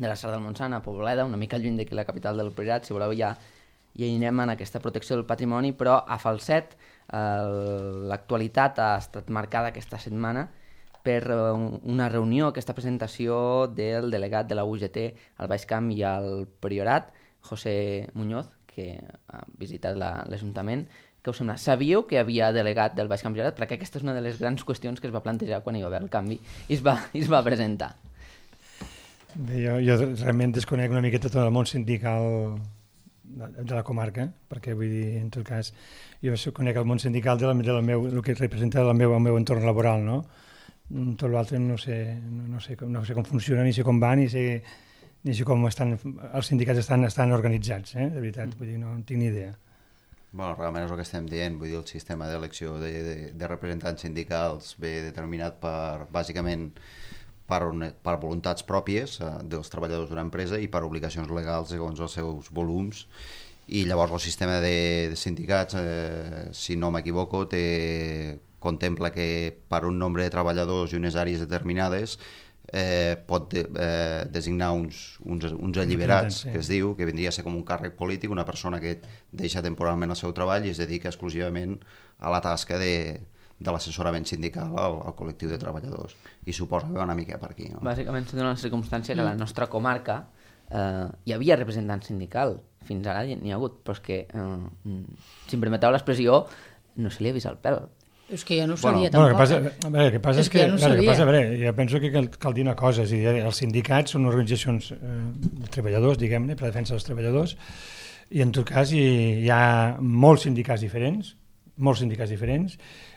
de la Serra del Montsant, a Pobleda, una mica lluny d'aquí la capital del Priorat. Si voleu ja hi anem en aquesta protecció del patrimoni, però a Falset l'actualitat ha estat marcada aquesta setmana per una reunió, aquesta presentació del delegat de la UGT al Baix Camp i al Priorat, José Muñoz, que ha visitat l'Ajuntament. Què us sembla? Sabíeu que hi havia delegat del Baix Camp Priorat? Perquè aquesta és una de les grans qüestions que es va plantejar quan hi va haver el canvi i es va presentar. Bé, jo realment desconec una miqueta tot el món sindical de la comarca, perquè vull dir, en tot cas, jo conec el món sindical el que representa el meu entorn laboral, no? Tot l'altre no sé com funciona, ni sé com va, ni sé com els sindicats estan organitzats, de veritat, vull dir, no en tinc ni idea. Bueno, realment és el que estem dient, vull dir, el sistema d'elecció de representants sindicals ve determinat bàsicament per voluntats pròpies dels treballadors d'una empresa i per obligacions legals segons els seus volums, i llavors el sistema de sindicats, si no m'equivoco, contempla que per un nombre de treballadors i unes àrees determinades pot designar uns alliberats, que es diu, que vindria a ser com un càrrec polític, una persona que deixa temporalment el seu treball i es dedica exclusivament a la tasca de l'assessorament sindical al col·lectiu de treballadors, i suposa que va una mica per aquí, no? Bàsicament se dona la circumstància que a la nostra comarca hi havia representant sindical, fins ara n'hi ha hagut, però és que, si em permeteu l'expressió, no se li ha vist el pèl. És que jo no ho sabia tampoc. El que passa és que jo penso que cal dir una cosa, és a dir, els sindicats són organitzacions de treballadors, diguem-ne, per la defensa dels treballadors, i en tot cas hi ha molts sindicats diferents,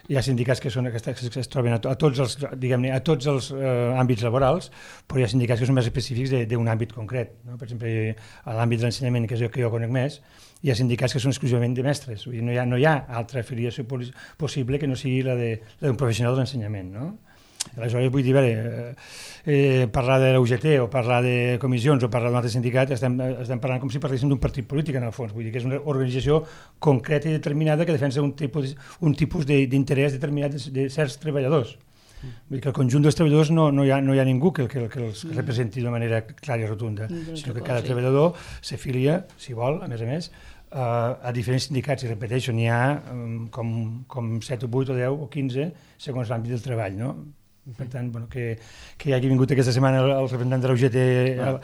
hi ha sindicats que es troben a tots els, diguem-ne, a tots els àmbits laborals, però hi ha sindicats que són més específics d'un àmbit concret, no? Per exemple, a l'àmbit de l'ensenyament, que és el que jo conec més, hi ha sindicats que són exclusivament de mestres, vull dir, no hi ha altra afiliació possible que no sigui la d'un professional de l'ensenyament, no? Aleshores, vull dir, parlar de la UGT o parlar de comissions o parlar d'un altre sindicat, estem parlant com si parléssim d'un partit polític, en el fons. Vull dir que és una organització concreta i determinada que defensa un tipus d'interès determinat de certs treballadors. Vull dir que el conjunt dels treballadors no hi ha ningú que els representi de manera clara i rotunda, sinó que cada treballador s'afilia, si vol, a més, a diferents sindicats, i repeteixo, n'hi ha com 7 o 8 o 10 o 15 segons l'àmbit del treball, no? Per tant, que hi hagi vingut aquesta setmana el representant de la UGT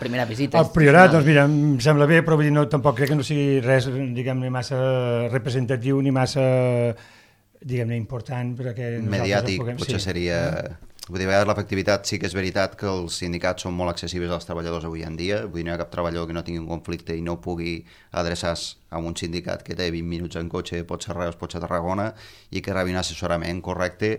primera visita al Priorat, doncs mira, em sembla bé, però tampoc crec que no sigui res, diguem-ne, massa representatiu ni massa, diguem-ne, important perquè mediàtic, potser seria... Vull dir, a vegades l'efectivitat sí que és veritat que els sindicats són molt accessibles als treballadors avui en dia, vull dir, no hi ha cap treballador que no tingui un conflicte i no pugui adreçar-se a un sindicat que té 20 minuts en cotxe, pot ser Reus, pot ser Tarragona, i que rebi un assessorament correcte,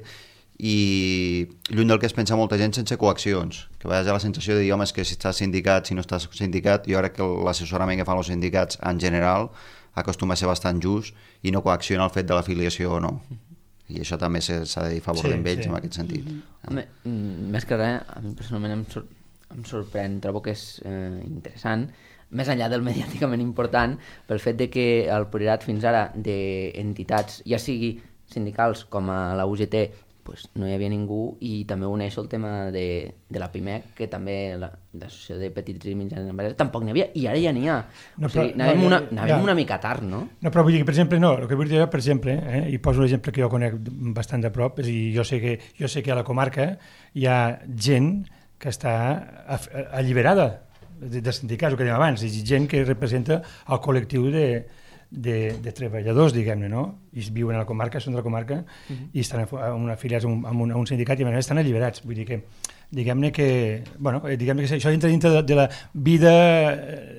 i lluny del que es pensa molta gent, sense coaccions, que a vegades hi ha la sensació de dir, home, és que si estàs sindicat, si no estàs sindicat, jo crec que l'assessorament que fan els sindicats en general acostuma a ser bastant just i no coacciona el fet de l'afiliació o no. I això també s'ha de dir a favor d'ells en aquest sentit. Home, més que res, a mi personalment em sorprèn, trobo que és interessant, més enllà del mediàticament important, pel fet de que el Priorat fins ara d'entitats, ja sigui sindicals com a la UGT, pues no hi havia ningú, i també uneixo el tema de la PIMEC, que també l'associació de petits i mitjans empreses tampoc n'hi havia, i ara ja n'hi ha. O sigui, anàvem una mica tard, no? No, però vull dir que, per exemple, el que vull dir, per exemple, i poso l'exemple que jo conec bastant de prop, és a dir, jo sé que a la comarca hi ha gent que està alliberada de sindicats, el que dèiem abans, és gent que representa el col·lectiu de treballadors, diguem-ne, no? I viuen a la comarca, són de la comarca, i estan afiliats a un sindicat i a més estan alliberats. Vull dir que, diguem-ne que això entra dintre de la vida,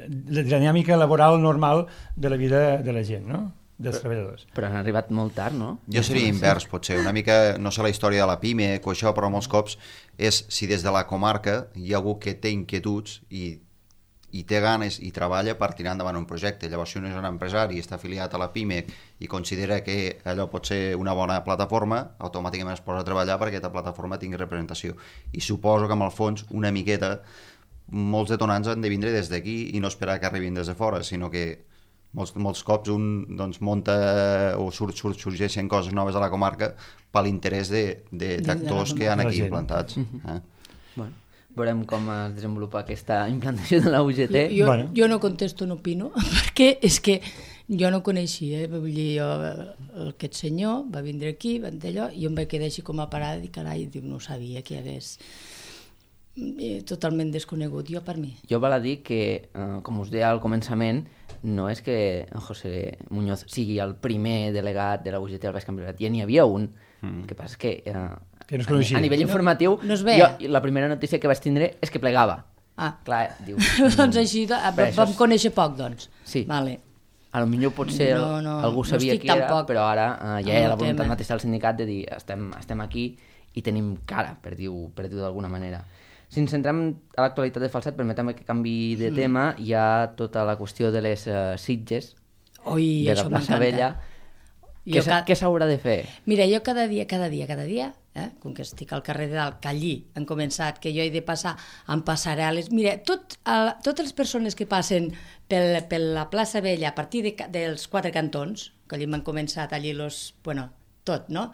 de la dinàmica laboral normal de la vida de la gent, no? Dels treballadors. Però han arribat molt tard, no? Jo seria invers, potser, una mica, no sé la història de la PIME o això, però molts cops és si des de la comarca hi ha algú que té inquietuds i té ganes i treballa per tirar endavant un projecte. Llavors, si un és un empresari i està afiliat a la PIMEC i considera que allò pot ser una bona plataforma, automàticament es posa a treballar perquè aquesta plataforma tingui representació. I suposo que, amb el fons, una miqueta, molts detonants han de vindre des d'aquí i no esperar que arribin des de fora, sinó que molts cops un munta o sorgeixen coses noves a la comarca per l'interès d'actors que han aquí implantats. Bueno, veurem com es desenvolupa aquesta implantació de la UGT. Jo no contesto, no opino, perquè és que jo no coneixia, vull dir, aquest senyor va vindre aquí, va d'allò, i jo em vaig quedar així com a parada i carai, no sabia que hi hagués totalment desconegut, jo per mi. Jo val a dir que, com us deia al començament, no és que José Muñoz sigui el primer delegat de la UGT al Baix Camp-de-Llobregat, ja n'hi havia un. El que passa és que a nivell informatiu, jo la primera notícia que vaig tindre és que plegava. Clar, dius... Doncs així, vam conèixer poc, doncs. Sí. Vale. A lo millor potser algú sabia qui era, però ara ja hi ha la voluntat mateixa del sindicat de dir estem aquí i tenim cara, per dir-ho d'alguna manera. Si ens centrem a l'actualitat de Falset, permetem que canvi de tema, hi ha tota la qüestió de les sitges de la plaça Vella. Què s'haurà de fer? Mira, jo cada dia, com que estic al carrer de dalt, que allí han començat, que jo he de passar amb passarel·les, mira, totes les persones que passen per la plaça Vella a partir dels 4 cantons, que allí m'han començat allí tot, no?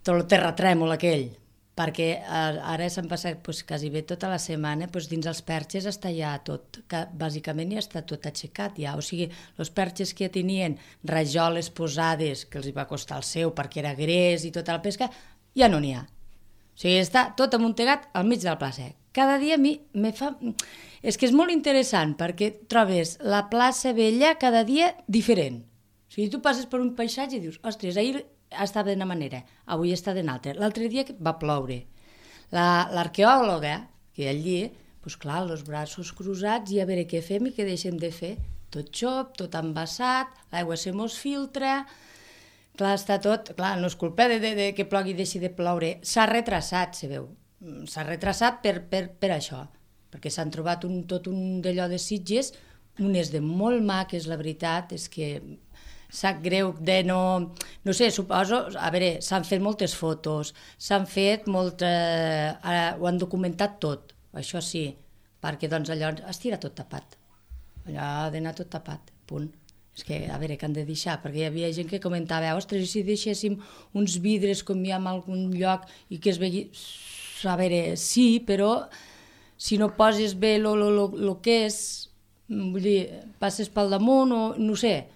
Tot el terratrèmol aquell, perquè ara s'han passat quasi bé tota la setmana dins els perxes està ja tot, bàsicament ja està tot aixecat ja, o sigui, els perxes que tenien rajoles posades, que els va costar el seu perquè era gres i tota la pesca, ja no n'hi ha. O sigui, està tot amuntegat al mig de la plaça. Cada dia a mi me fa... És que és molt interessant perquè trobes la plaça Vella cada dia diferent. O sigui, tu passes per un paisatge i dius, ostres, ahir estava d'una manera, avui està d'una altra. L'altre dia va ploure. L'arqueòloga, que allí, doncs clar, els braços cruzats i a veure què fem i què deixem de fer. Tot xop, tot embassat, l'aigua se mos filtra, clar, està tot... Clar, no és culpa de que plogui i deixi de ploure. S'ha retrasat, se veu. S'ha retrasat per això, perquè s'han trobat tot un d'allò de sitges, unes de molt maques, la veritat, és que... sap greu de no sé, suposo, a veure, s'han fet moltes fotos, s'han fet ho han documentat tot, això sí, perquè doncs allò es tira tot tapat, allò ha d'anar tot tapat, punt. És que, a veure, què han de deixar, perquè hi havia gent que comentava, ostres, i si deixéssim uns vidres com hi ha en algun lloc i que es vegi... A veure, sí, però si no poses bé el que és, vull dir, passes pel damunt o no sé,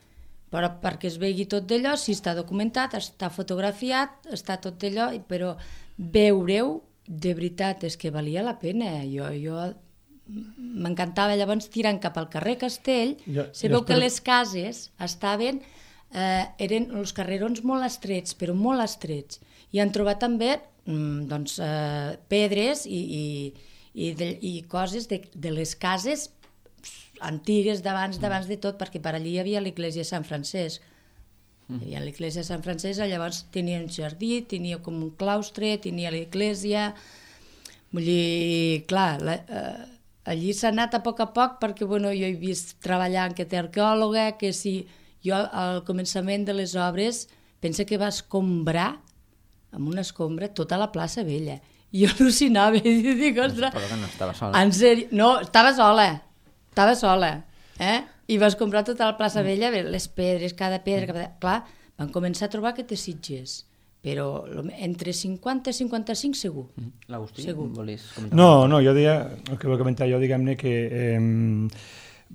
però perquè es vegi tot d'allò, si està documentat, està fotografiat, està tot d'allò, però veure-ho, de veritat, és que valia la pena. Jo m'encantava llavors tirant cap al carrer Castell, se veu que les cases estaven, eren els carrerons molt estrets, però molt estrets, i han trobat també pedres i coses de les cases antigues d'abans de tot, perquè per allí hi havia l'església de Sant Francesc. Hi havia l'església de Sant Francesc, llavors tenia un jardí, tenia com un claustre, tenia l'església... Vull dir, clar, allí s'ha anat a poc, perquè jo he vist treballar en aquest arqueòloga, que si jo al començament de les obres pensa que va escombrar, amb una escombra, tota la plaça Vella. I jo al·lucinava i dic, ostres... Però que no estava sola. En sèrio, no, estava sola, i vas comprar tota la plaça Vella, les pedres, cada pedra, clar, van començar a trobar aquestes sitges, però entre 50 i 55 segur. L'Agustí, volies comentar? No, jo deia, el que vull comentar jo, diguem-ne que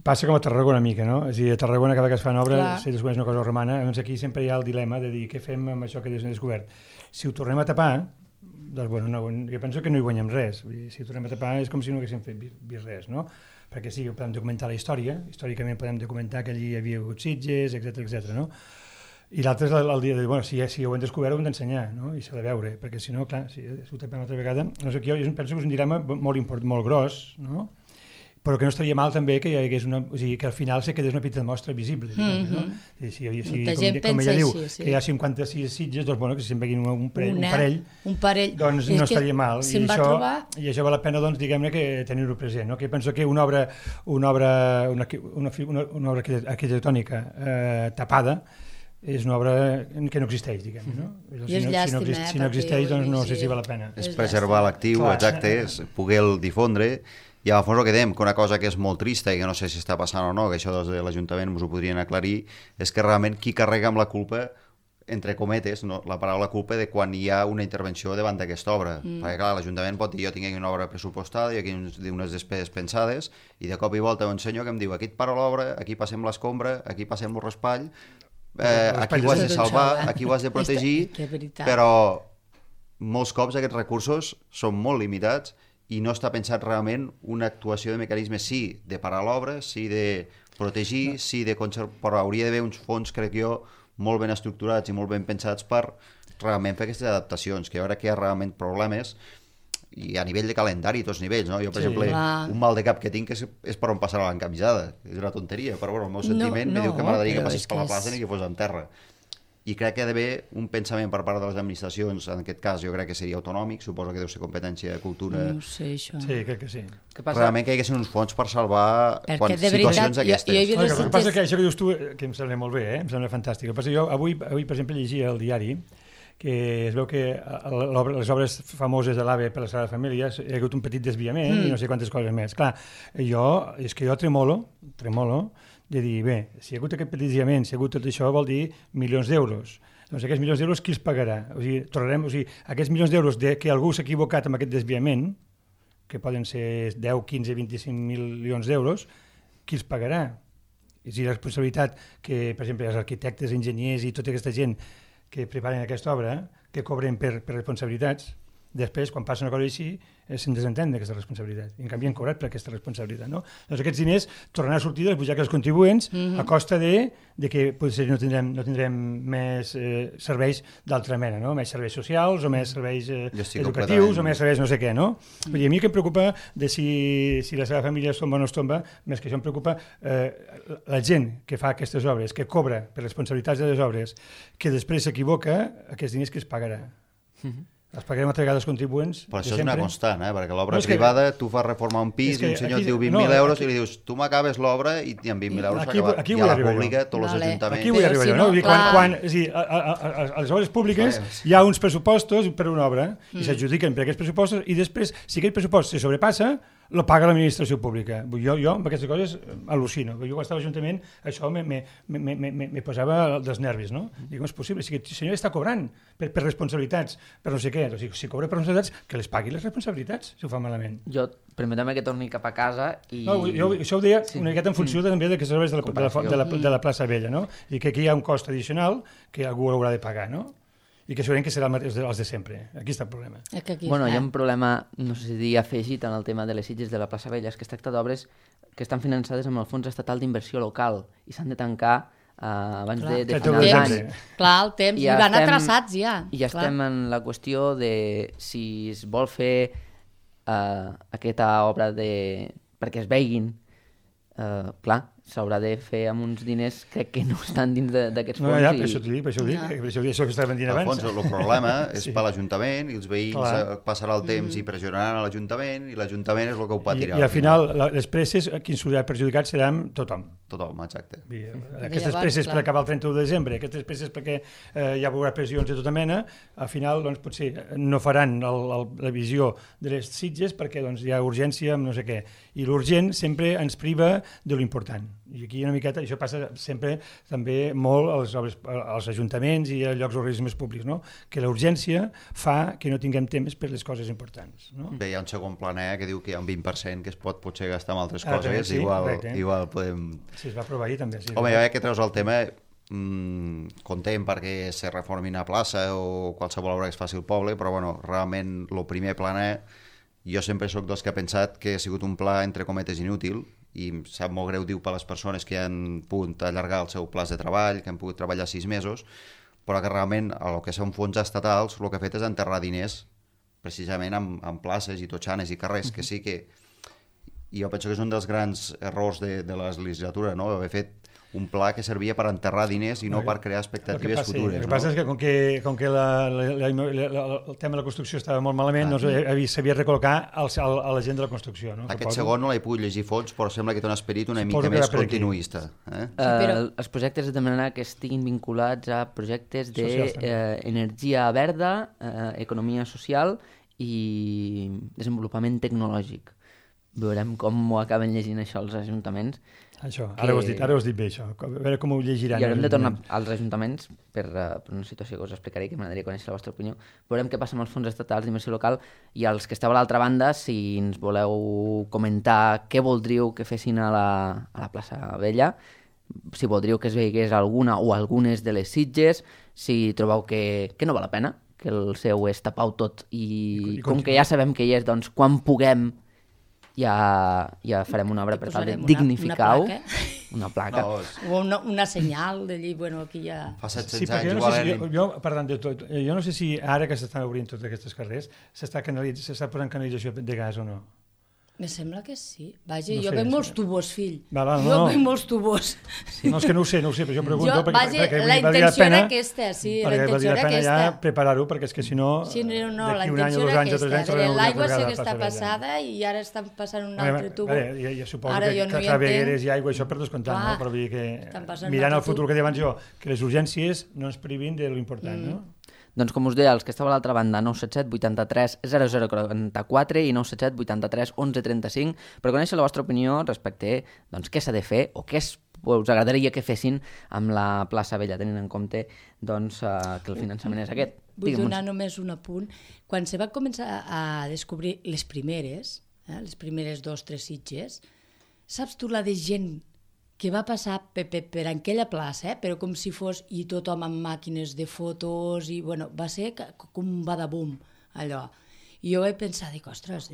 passa com a Tarragona una mica, no? És a dir, a Tarragona cada que es fan obres, si descobreix una cosa romana, doncs aquí sempre hi ha el dilema de dir què fem amb això que hem descobert. Si ho tornem a tapar, doncs jo penso que no hi guanyem res. Si ho tornem a tapar és com si no haguéssim fet vist res, no? Perquè sí, podem documentar la història, històricament podem documentar que allí hi havia hagut sitges, etc., no? I l'altre és el dia de dir, si ho hem descobert ho hem d'ensenyar, no? I s'ha de veure, perquè si no, clar, si ho tapem una altra vegada, no sé, jo penso que és un dilema molt gros, no? Però que no estaria mal també que hi hagués que al final se quedés una petita mostra visible, no? Com ella diu, que hi ha 56 sitges, doncs que se'n veguin un parell, doncs no estaria mal. I això val la pena, doncs, diguem-ne, que tenir-ho present, no? Que penso que una obra arquitectònica tapada és una obra que no existeix, diguem-ne, no? I és llàstima, si no existeix, doncs no sé si val la pena. És preservar l'actiu, exacte, és poder-lo difondre. I a fons el que dèiem, que una cosa que és molt trista i que no sé si està passant o no, que això des de l'Ajuntament us ho podrien aclarir, és que realment qui carrega amb la culpa entre cometes, no, la paraula culpa de quan hi ha una intervenció davant d'aquesta obra. Perquè, clar, l'Ajuntament pot dir, jo tinc aquí una obra pressupostada i aquí unes despeses pensades, i de cop i volta un senyor que em diu, aquí et para l'obra, aquí passem l'escombra, aquí passem el raspall, aquí ho has de salvar, aquí ho has de protegir, però molts cops aquests recursos són molt limitats i no està pensat realment una actuació de mecanismes, sí, de parar l'obra, sí de protegir, sí de conservar, però hauria d'haver uns fons, crec jo, molt ben estructurats i molt ben pensats per realment fer aquestes adaptacions, que jo crec que hi ha realment problemes i a nivell de calendari a tots nivells, no? Jo, per exemple, un mal de cap que tinc és per on passarà l'encamisada, és una tonteria, però bueno, el meu sentiment me diu que m'agradaria que passés per la plaça i que fos en terra. I crec que ha d'haver un pensament per part de les administracions, en aquest cas jo crec que seria autonòmic, suposo que deu ser competència de cultura. No sé, això. Sí, crec que sí. Realment que hi haguessin uns fons per salvar situacions d'aquestes. El que passa que això que dius tu, que em sembla molt bé, em sembla fantàstic. El que passa que jo avui, per exemple, llegia al diari que es veu que les obres famoses de l'AVE per la Sagrada Família hi ha hagut un petit desviament i no sé quantes coses més. Clar, és que jo tremolo de dir, bé, si hi ha hagut aquest petit desviament, si hi ha hagut tot això, vol dir milions d'euros. Doncs aquests milions d'euros qui els pagarà? Aquests milions d'euros que algú s'ha equivocat amb aquest desviament, que poden ser 10, 15, 25 milions d'euros, qui els pagarà? És a dir, la responsabilitat que, per exemple, els arquitectes, enginyers i tota aquesta gent que preparen aquesta obra, que cobren per responsabilitats, després, quan passa una cosa així, se'n desentén d'aquesta responsabilitat. I en canvi han cobrat per aquesta responsabilitat. No? Doncs aquests diners tornaran a sortir dels butxaques dels contribuents a costa de que potser no tindrem més serveis d'altra mena, no? Més serveis socials o més serveis educatius o més serveis no sé què. No? Vull dir, a mi que em preocupa de si la seva família es tomba o no es tomba, més que això em preocupa la gent que fa aquestes obres, que cobra per responsabilitats de les obres, que després s'equivoca, aquests diners que es pagarà. Els pagarem altra vegada els contribuents. Però això és una constant, perquè l'obra privada, tu fas reformar un pis i un senyor et diu 20.000 euros i li dius, tu m'acabes l'obra i amb 20.000 euros s'acaba. I a la pública, tots els ajuntaments... Aquí vull arribar jo, no? A les obres públiques hi ha uns pressupostos per una obra i s'adjudiquen per aquests pressupostos i després, si aquell pressupost se sobrepassa, lo paga l'administració pública. Jo amb aquestes coses al·lucino. Jo quan estava a l'Ajuntament això me posava dels nervis, no? Dic, com és possible? Si el senyor està cobrant per responsabilitats, per no sé què, si cobra per responsabilitats, que les pagui les responsabilitats, si ho fa malament. Jo, permetem que torni cap a casa i... No, això ho deia una miqueta en funció també d'aquestes obres de la plaça Vella, no? I que aquí hi ha un cost addicional que algú haurà de pagar, no? I que segurament que seran els de sempre. Aquí està el problema. Hi ha un problema, no sé si dir afegit en el tema de les Sitges de la plaça Vella, és que es tracta d'obres que estan finançades amb el Fons Estatal d'Inversió Local i s'han de tancar abans de final d'any. Clar, el temps, i van atrasats ja. I ja estem en la qüestió de si es vol fer aquesta obra perquè es veguin, clar, s'haurà de fer amb uns diners que no estan dins d'aquests fons. Per això t'ho dic, per això que estàvem dient abans. El problema és per l'Ajuntament i els veïns passarà el temps i pressionaran a l'Ajuntament i l'Ajuntament és el que ho patirà. I al final les presses, qui ens haurà perjudicat seran tothom. Tothom, exacte. Aquestes presses per acabar el 31 de desembre, aquestes presses perquè hi haurà pressions de tota mena, al final potser no faran la visió de les Sitges perquè hi ha urgència amb no sé què. I l'urgent sempre ens priva de l'important. I aquí una miqueta, això passa sempre també molt als ajuntaments i a llocs organismes públics, no? Que la urgència fa que no tinguem temps per les coses importants. No? Bé, hi ha un segon planer que diu que hi ha un 20% que es pot potser gastar en altres coses, sí, igual podem... Sí, es va aprovar ahir també. Sí, home, ja que treus el tema, content perquè se reformi una plaça o qualsevol obra que es faci al poble, però bueno, realment el primer planer, jo sempre sóc dels que ha pensat que ha sigut un pla entre cometes inútil, i em sap molt greu, diu, per les persones que han pogut allargar el seu pla de treball, que han pogut treballar 6 mesos, però que realment el que són fons estatals el que ha fet és enterrar diners precisament en places i totxanes i carrers, que sí que... I jo penso que és un dels grans errors de la legislatura, no? Haver fet un pla que servia per enterrar diners i no per crear expectatives futures. El que passa és que com que el tema de la construcció estava molt malament, s'havia de recol·locar a la gent de la construcció. No? Aquest segon no l'he pogut llegir fons, però sembla que té un esperit una mica més continuista. Els projectes de demanar que estiguin vinculats a projectes d'energia verda, economia social i desenvolupament tecnològic. veurem com ho acaben llegint això els ajuntaments. Això, ara ho has dit bé, això. A veure com ho llegiran. I haurem de tornar als ajuntaments per una situació que us explicaré, que m'agradaria conèixer la vostra opinió. Veurem què passa amb els fons estatals d'inversió local i els que esteu a l'altra banda, si ens voleu comentar què voldríeu que fessin a la plaça Vella, si voldríeu que es veigués alguna o algunes de les Sitges, si trobeu que no val la pena, que el seu és tapau tot i com que ja sabem que hi és, doncs quan puguem ja farem una obra per tal de dignificar-ho. Una placa. O una senyal de dir, bueno, aquí ja... Fa 700 anys igual... Jo, parlant de tot, jo no sé si ara que s'estan obrint tots aquests carrers s'està posant canalització de gas o no. Me sembla que sí. Vaja, jo veig molts tubos, fill. Jo veig molts tubos. No, és que no ho sé, però jo pregunto perquè la intenció era aquesta, sí, la intenció era aquesta. Ja preparar-ho, perquè és que si no, d'aquí un any o 2 anys o 3 anys... L'aigua sé que està passada i ara estan passant un altre tubo. Jo suposo que clavegueres i aigua, això per descomptar, no? Però vull dir que mirant el futur que deia abans jo, que les urgències no ens privin de lo important, no? Doncs com us deia, els que esteu a l'altra banda, 977 83 0044 i 977 83 1135, per conèixer la vostra opinió respecte doncs, què s'ha de fer o què us agradaria que fessin amb la plaça Vella, tenint en compte doncs, que el finançament és aquest. Vull donar només un apunt. Quan se va començar a descobrir les primeres 2 o 3 Sitges, saps tu la de gent que va passar per aquella plaça, però com si fos, i tothom amb màquines de fotos, i bueno, va ser com un badabum, allò. I jo vaig pensar, dic, ostres,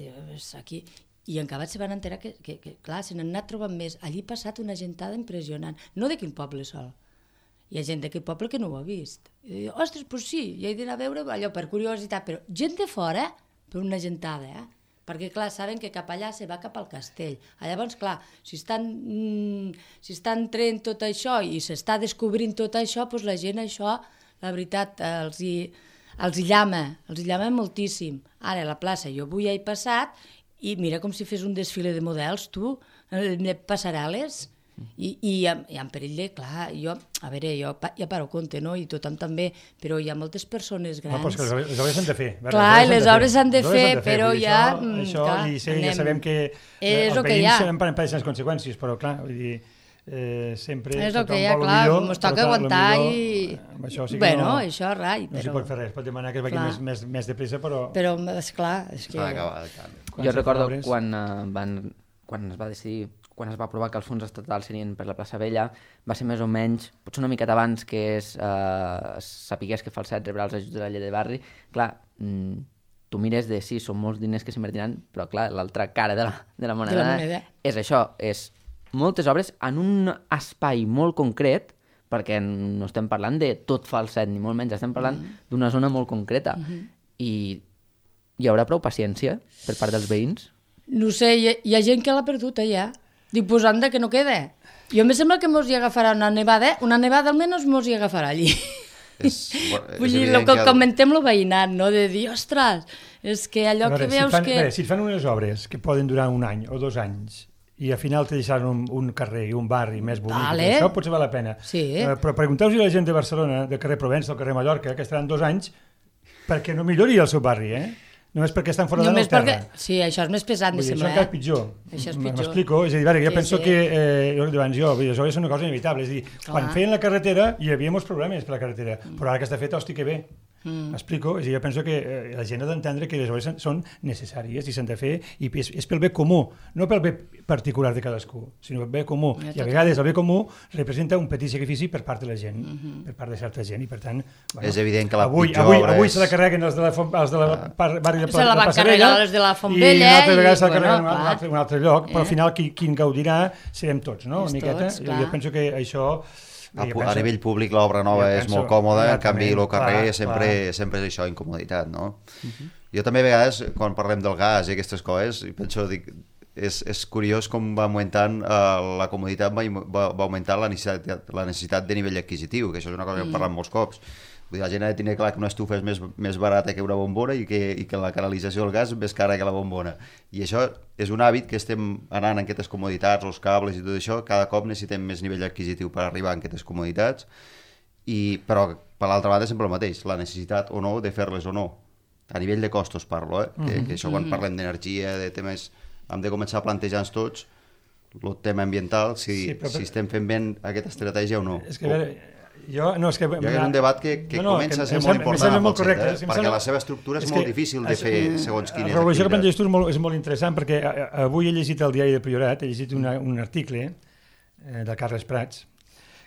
aquí... I en acabat se van enterar que clar, se n'han anat trobant més. Allí ha passat una gentada impressionant, no d'aquell poble sol. Hi ha gent d'aquell poble que no ho ha vist. I dic, ostres, doncs sí, hi he d'anar a veure allò per curiositat, però gent de fora, per una gentada, perquè, clar, saben que cap allà se va cap al castell. Llavors, clar, si estan traient tot això i s'està descobrint tot això, doncs la gent això, la veritat, els hi llama moltíssim. Ara, a la plaça, jo avui he passat i mira com si fes un desfile de models, tu, passarel·les, i en perill de, clar, jo ja paro compte, no? I tothom també, però hi ha moltes persones grans. No, però és que les obres s'han de fer. Clar, les obres s'han de fer, però ja... Això, ja sabem que els veïns en pateixen les conseqüències, però clar, vull dir, sempre és el que hi ha, clar, ens toca aguantar i... Bueno, això, rai, però... No s'hi pot fer res, pot demanar que es vagi més de pressa, però... Però, esclar, és que... Jo recordo quan es va decidir, quan es va aprovar que els fons estatals serien per la plaça Vella, va ser més o menys, potser una miqueta abans que sapigués que Falset rebrà els ajuts de la llei de barri. Clar, tu mires de sí, són molts diners que s'invertiran, però clar, l'altra cara de la moneda és això, és moltes obres en un espai molt concret, perquè no estem parlant de tot Falset, ni molt menys, estem parlant d'una zona molt concreta. I hi haurà prou paciència per part dels veïns? No sé, hi ha gent que l'ha perdut allà. Dic, pues anda, que no queda. Jo em sembla que mos hi agafarà una nevada almenys mos hi agafarà allí. Vull dir, el que comentem lo veïnat, no? De dir, ostres, és que allò que veus que... Si et fan unes obres que poden durar 1 any o 2 anys i al final te deixaran un carrer i un barri més bonic, això potser val la pena. Però pregunteu-vos a la gent de Barcelona, del carrer Provença, del carrer Mallorca, que estaran 2 anys perquè no millori el seu barri, Només perquè estan fora de la terra. Sí, això és més pesant, me sembla. Això encara és pitjor. Això és pitjor. M'explico? És a dir, jo penso que, això és una cosa inevitable. És a dir, quan feien la carretera hi havia molts problemes per la carretera, però ara que està feta, hosti, que bé. M'explico? És a dir, jo penso que la gent ha d'entendre que les obres són necessàries i s'han de fer, i és pel bé comú, no pel bé particular de cadascú, sinó pel bé comú. I a vegades el bé comú representa un petit sacrifici per part de la gent, per part de certa gent, i per tant... És evident que la pitjor obra és... Avui se la carreguen els de la barri de se la van carregar les de la Fontvella i una altra vegada se la carreguen un altre lloc, però al final qui en gaudirà serem tots, no? Una miqueta. Jo penso que això... A nivell públic l'obra nova és molt còmoda, en canvi el carrer sempre és això, incomoditat, no? Jo també a vegades, quan parlem del gas i aquestes coses, penso, és curiós com va augmentant la comoditat, va augmentar la necessitat de nivell adquisitiu, que això és una cosa que hem parlat molts cops. La gent ha de tenir clar que una estufa és més barata que una bombona i que la canalització del gas és més cara que la bombona. I això és un hàbit que estem anant en aquestes comoditats, els cables i tot això, cada cop necessitem més nivell adquisitiu per arribar a aquestes comoditats, però per l'altra banda sempre el mateix, la necessitat o no de fer-les o no. A nivell de costos parlo, que això quan parlem d'energia, de temes hem de començar a plantejar-nos tots el tema ambiental, si estem fent bé aquesta estratègia o no. És que, és un debat que comença a ser molt important molt correcte, perquè la seva estructura és molt difícil de fer segons quines activitats. La regulació que planteges tu és molt interessant, perquè avui he llegit al diari de Priorat, he llegit un article de Carles Prats,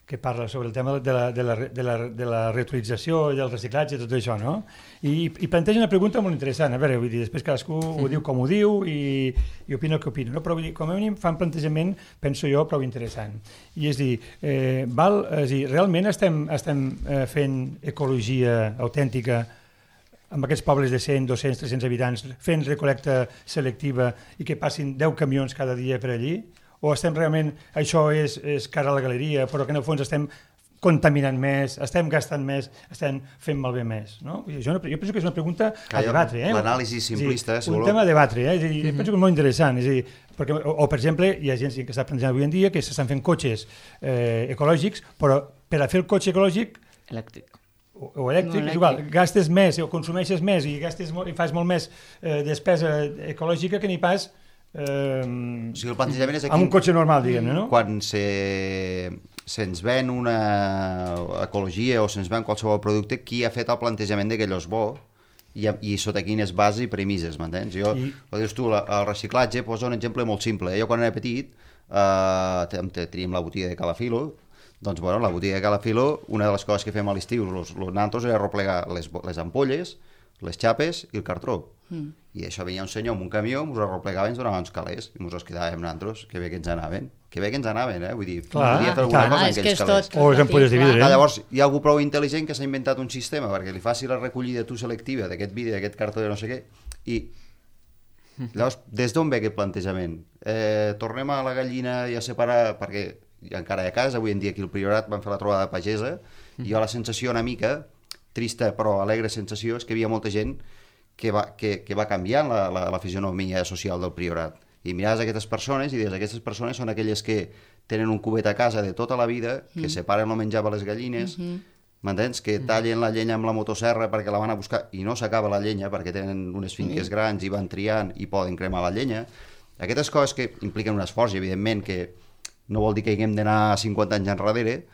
que parla sobre el tema de la reutilització i del reciclatge i tot això, no? I planteja una pregunta molt interessant. A veure, vull dir, després cadascú ho diu com ho diu i opina el que opina, no? Però vull dir, com a mínim fa un plantejament, penso jo, prou interessant. I és dir, realment estem fent ecologia autèntica amb aquests pobles de 100, 200, 300 habitants, fent recolecta selectiva i que passin 10 camions cada dia per allí? O estem realment, això és cara a la galeria, però que en el fons estem contaminant més, estem gastant més, estem fent malbé més, no? Jo penso que és una pregunta a debatre. L'anàlisi simplista, és un tema a debatre, és a dir, penso que és molt interessant, és a dir, perquè, o per exemple, hi ha gent que està plantejant avui en dia que s'estan fent cotxes ecològics, però per a fer el cotxe ecològic o elèctric, és igual, gastes més o consumeixes més i fas molt més despesa ecològica que ni pas el plantejament és aquí, amb un cotxe normal, diguem-ne, no? Quan se'ns ven una ecologia o se'ns ven qualsevol producte, qui ha fet el plantejament de que allò és bo i sota quines bases i premisses, m'entens? Ho dius tu, el reciclatge, posa un exemple molt simple. Jo quan era petit teníem la botiga de Calafilo, doncs la botiga de Calafilo, una de les coses que fem a l'estiu, nosaltres era replegar les ampolles, les xapes i el cartró. I això venia un senyor amb un camió, ens ho replegava i ens donava uns calés i ens els quedàvem nosaltres, que bé que ens anaven, vull dir, podia fer alguna cosa amb aquells calés. O les ampolles de vidre. Llavors, hi ha algú prou intel·ligent que s'ha inventat un sistema perquè li faci la recollida selectiva d'aquest vidre, d'aquest cartró de no sé què, i llavors, des d'on ve aquest plantejament? Tornem a la gallina i a separar, perquè encara hi ha cas, avui en dia aquí al Priorat van fer la trobada pagesa, i jo la sensació una mica trista però alegre sensació és que hi havia molta gent que va canviant la fisionomia social del Priorat. I miraves aquestes persones i dius, aquestes persones són aquelles que tenen un cubet a casa de tota la vida, que separen el menjar per les gallines, m'entens? Que tallen la llenya amb la motosserra perquè la van a buscar i no s'acaba la llenya perquè tenen unes finques grans i van triant i poden cremar la llenya. Aquestes coses que impliquen un esforç, i evidentment que no vol dir que haguem d'anar 50 anys enrere,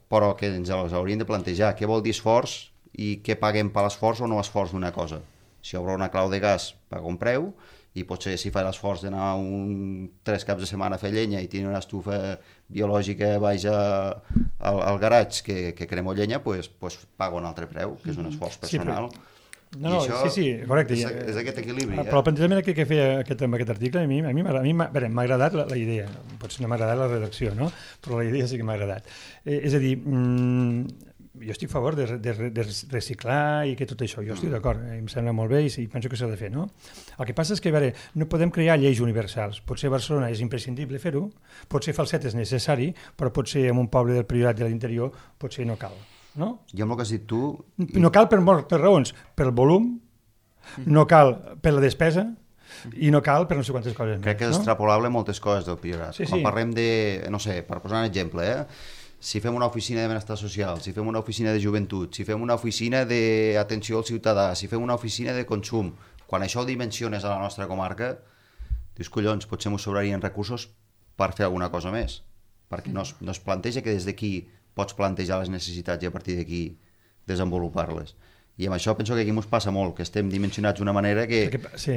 però que ens els hauríem de plantejar. Què vol dir esforç i què paguem per l'esforç o no esforç d'una cosa? Si obre una clau de gas, paga un preu, i potser si fa l'esforç d'anar 3 caps de setmana a fer llenya i tenir una estufa biològica baix al garatge que cremo llenya, doncs paga un altre preu, que és un esforç personal. Sí, correcte. És aquest equilibri. Però el plantejament que feia amb aquest article, a mi m'ha agradat la idea. Potser no m'ha agradat la redacció, no? Però la idea sí que m'ha agradat. És a dir, jo estic a favor de reciclar i que tot això, jo estic d'acord, em sembla molt bé i penso que s'ha de fer, no? El que passa és que, no podem crear lleis universals. Potser a Barcelona és imprescindible fer-ho, potser Falset és necessari, però potser en un poble del Priorat de l'interior potser no cal, no? Jo amb el que has dit tu... No cal per raons, pel volum, no cal per la despesa, i no cal per no sé quantes coses més. Crec que és extrapolable moltes coses del Priorat. Quan parlem de, no sé, per posar un exemple, si fem una oficina de benestar social, si fem una oficina de joventut, si fem una oficina d'atenció al ciutadà, si fem una oficina de consum, quan això ho dimensiones a la nostra comarca, dius, collons, potser ens sobrarien recursos per fer alguna cosa més, perquè no es planteja que des d'aquí pots plantejar les necessitats i a partir d'aquí desenvolupar-les. I amb això penso que aquí ens passa molt, que estem dimensionats d'una manera que... Sí.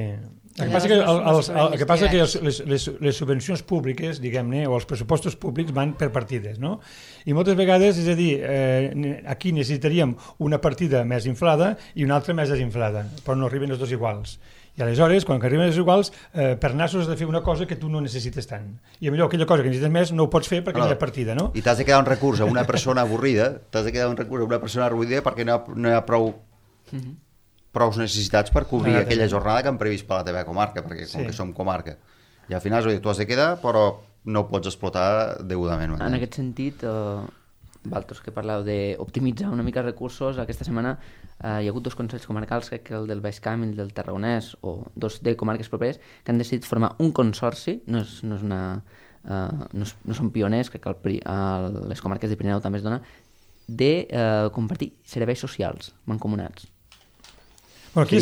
El que passa que les subvencions públiques, diguem-ne, o els pressupostos públics van per partides, no? I moltes vegades, és a dir, aquí necessitaríem una partida més inflada i una altra més desinflada, però no arriben els dos iguals. I aleshores, quan arriben els iguals, per nassos has de fer una cosa que tu no necessites tant. I millor aquella cosa que necessites més no ho pots fer perquè no hi ha partida, no? I t'has de quedar un recurs a una persona avorrida, perquè no hi ha prou necessitats per cobrir aquella jornada que han previst per la teva comarca, perquè com que som comarca. I al final tu has de quedar, però no pots explotar degudament. En aquest sentit, vosaltres que parleu d'optimitzar una mica recursos, aquesta setmana hi ha hagut 2 consells comarcals, crec que el del Baix Camp i el del Tarragonès, o 2 de comarques properes, que han decidit formar un consorci, no són pioners, crec que les comarques de Pirineu també es dona, de compartir serveis socials mancomunats. Bueno, aquí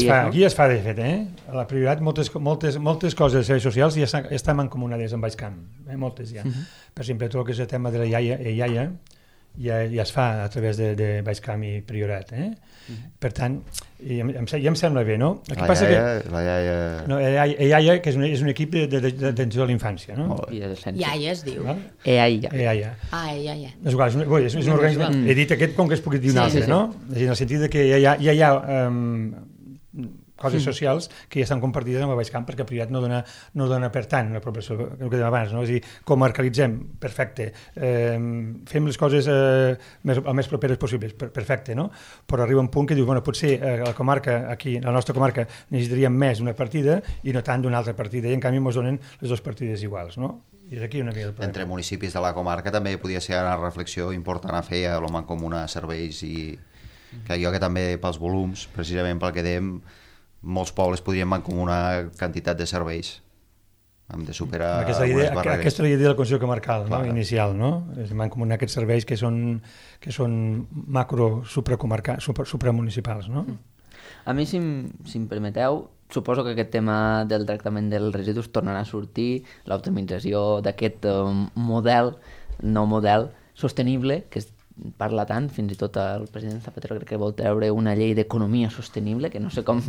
es fa, de fet, A la Priorat moltes coses de serveis socials ja estan mancomunades amb Baixcamp, moltes ja. Per exemple, tot el que és el tema de la iaia ja es fa a través de Baixcamp i Priorat. Per tant, em sembla bé, no? La iaia... No, iaia, que és un equip d'atenció a la infància, no? Iaia es diu. EAIA. EAIA. És igual, és un organisme... He dit aquest com que es pugui dir un altre, no? En el sentit que ja hi ha coses socials que ja estan compartides amb el Baixcamp perquè Priorat no dona per tant una proporció, el que dèiem abans, no? És a dir, comarcalitzem, perfecte, fem les coses el més properes possibles, perfecte, no? Però arriba un punt que dius, bueno, potser a la comarca, aquí, a la nostra comarca, necessitaríem més una partida i no tant d'una altra partida, i en canvi ens donen les dues partides iguals, no? I és aquí una mica el problema. Entre municipis de la comarca també podia ser una reflexió important a fer a l'home comú a serveis i que jo que també pels volums, precisament pel que dèiem, molts pobles podrien mancomunar quantitat de serveis. Hem de superar algunes barreres. Aquesta és la idea de la Conselleria Comarcal, no? Inicial, no? És mancomunar aquests serveis que són supramunicipals, no? A mi, si em permeteu, suposo que aquest tema del tractament dels residus tornarà a sortir, l'optimització d'aquest nou model sostenible, que parla tant, fins i tot el president Zapatero crec que vol treure una llei d'economia sostenible, que no sé com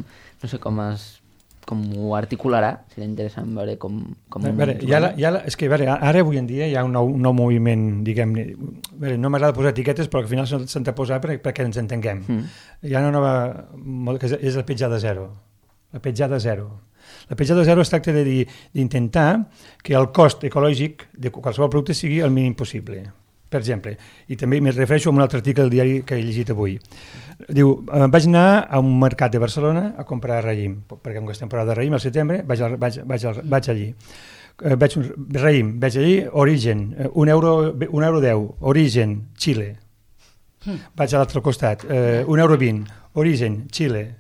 ho articularà, serà interessant veure com és que ara avui en dia hi ha un nou moviment, diguem-ne, no m'agrada posar etiquetes però al final s'han de posar perquè ens entenguem. Hi ha una nova, que és la petjada zero. La petjada zero es tracta d'intentar que el cost ecològic de qualsevol producte sigui el mínim possible. Per exemple, i també m'hi refereixo a un altre article del diari que he llegit avui. Diu, vaig anar a un mercat de Barcelona a comprar raïm, perquè com que és temporada de raïm, al setembre vaig allí. Raïm, vaig allí, origen, €1,10, origen, Xile. Vaig a l'altre costat, €1,20, origen, Xile.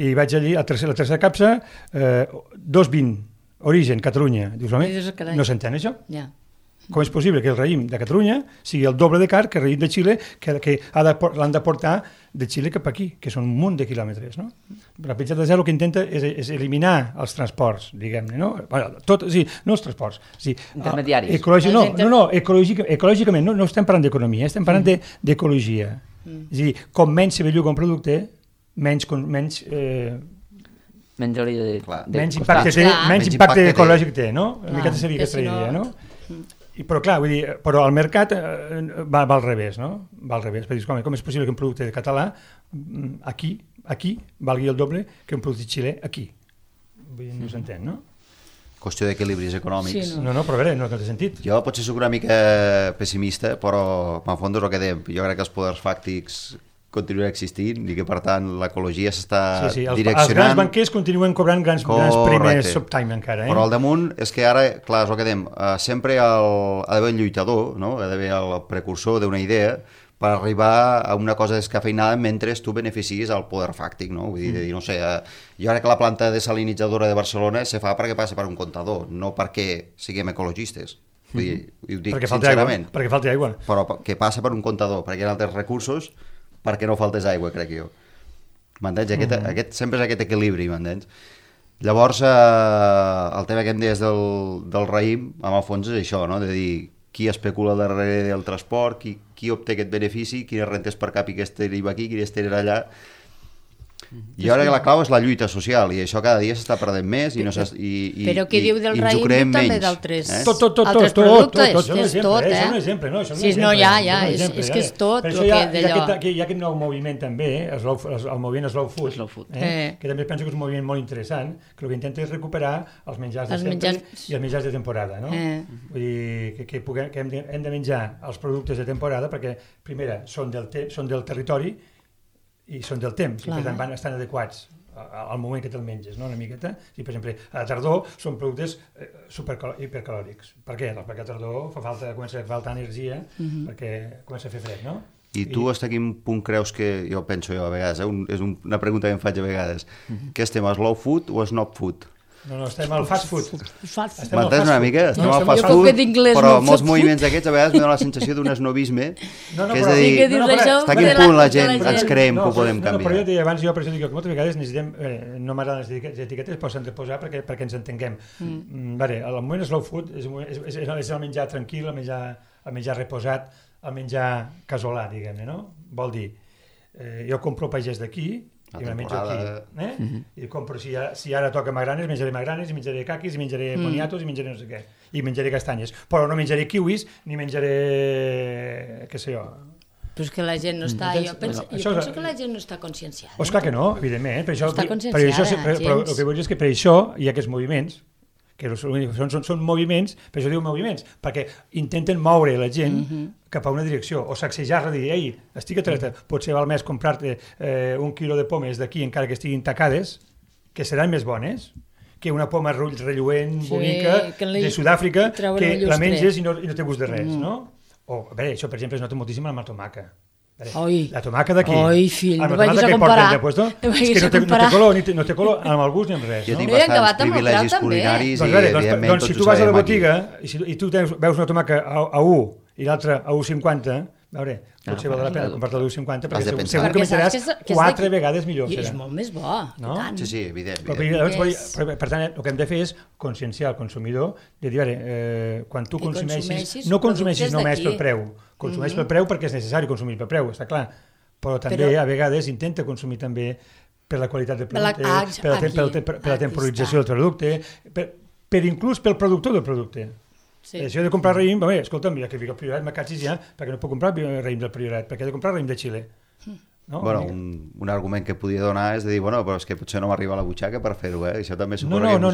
I vaig allí, la tercera capsa, €2,20, origen, Catalunya. Dius, home, no s'entén això? Ja. Com és possible que el raïm de Catalunya sigui el doble de car que el raïm de Xile, que l'han de portar de Xile cap aquí, que són un munt de quilòmetres, no? La petjada zero el que intenta és eliminar els transports, diguem-ne, no? No els transports. Intermediaris. Ecològicament, no estem parlant d'economia, estem parlant d'ecologia. És a dir, com menys se belluga un producte, menys impacte ecològic té, no? Una miqueta seria aquesta idea, no? Però clar, vull dir, però el mercat va al revés, no? Va al revés, perquè com és possible que un producte català aquí valgui el doble que un producte xilè aquí? Vull dir, no s'entén, no? Qüestió d'equilibris econòmics. No, però a veure, no té sentit. Jo potser soc una mica pessimista, però en fons és el que dèiem. Jo crec que els poders fàctics continuarà existint i que per tant l'ecologia s'està direccionant. Els grans banquers continuen cobrant grans primers subtime encara. Però al damunt és que ara, clar, és el que dèiem, sempre ha d'haver el lluitador, no? Ha d'haver el precursor d'una idea per arribar a una cosa descafeinada mentre tu beneficis el poder fàctic, no? Vull dir, no sé, jo crec que la planta desalinitzadora de Barcelona se fa perquè passa per un comptador, no perquè siguem ecologistes. Vull dir, ho dic sincerament. Perquè falta aigua. Però que passa per un comptador, perquè hi ha altres recursos perquè no faltés aigua, crec jo. M'entens? Sempre és aquest equilibri, m'entens? Llavors, el tema que em deies del raïm, en el fons és això, no? De dir, qui especula darrere del transport, qui obté aquest benefici, quines rentes per cap i que estén aquí, quines tenen allà. I ara la clau és la lluita social i això cada dia s'està perdent més però què diu del raïm també d'altres productes? És tot, és un exemple, no? És que és tot per això hi ha aquest nou moviment també, el moviment Slow Food, que també penso que és un moviment molt interessant, que el que intenta és recuperar els menjars de sempre i els menjars de temporada, no? Vull dir que hem de menjar els productes de temporada perquè primera són del territori i són del temps, i per tant estan adequats al moment que te'l menges, no? Una miqueta. Per exemple, a la tardor són productes hipercalòrics. Per què? Perquè a la tardor comença a fer falta energia perquè comença a fer fred, no? I tu hasta quin punt creus que, jo penso a vegades, és una pregunta que em faig a vegades, que estem a slow food o a snob food? No, estem al fast food. M'entens una mica? Estem al fast food, però molts moviments d'aquests a vegades me dona la sensació d'un esnovisme, que és a dir, està a quin punt la gent ens creiem que ho podem canviar. Però jo deia abans, per això dic que moltes vegades necessitem, no m'agraden les etiquetes, però s'han de posar perquè ens entenguem. El moment slow food és el menjar tranquil, el menjar reposat, el menjar casolà, diguem-ne, no? Vol dir, jo compro pagès d'aquí, i me menjo aquí. I compro, si ara toca magranes, menjaré magranes, i menjaré caquis, i menjaré boniatos, i menjaré no sé què. I menjaré castanyes. Però no menjaré kiwis, ni menjaré, què sé jo. Però és que la gent no està... Jo penso que la gent no està conscienciada. Doncs clar que no, evidentment. Està conscienciada, però el que vull dir és que per això hi ha aquests moviments, que són moviments, per això diu moviments, perquè intenten moure la gent cap a una direcció, o sacsejar-la, dir, ei, estic atreta, potser val més comprar-te 1 quilo de pomes d'aquí, encara que estiguin tacades, que seran més bones, que una poma relluent, bonica, de Sud-àfrica, que la menges i no té gust de res, no? O, a veure, això, per exemple, es nota moltíssim amb la tomaca. La tomaca d'aquí. Oi, fill, no vagis a comparar. És que no té color amb el gust ni amb res. Jo tinc bastants privilegis culinaris i, evidentment, doncs si tu vas a la botiga i tu veus una tomaca a 1 i l'altra a 1,50, a veure, potser val la pena comprar-te a 1,50 perquè segur que menjaràs 4 vegades millor. I és molt més bo. Sí, evident. Per tant, el que hem de fer és conscienciar el consumidor de dir, quan tu consumeixis, no consumeixis només pel preu, consumeix pel preu perquè és necessari consumir pel preu, està clar, però també a vegades intenta consumir també per la qualitat del producte, per la temporització del producte, per inclús pel productor del producte. Si he de comprar raïm, escolta'm, ja que vinc al Priorat, me catxis ja, perquè no puc comprar raïm del Priorat, perquè he de comprar raïm de Xile. Un argument que podia donar és de dir, però és que potser no m'arriba a la butxaca per fer-ho, això també suposa que jo no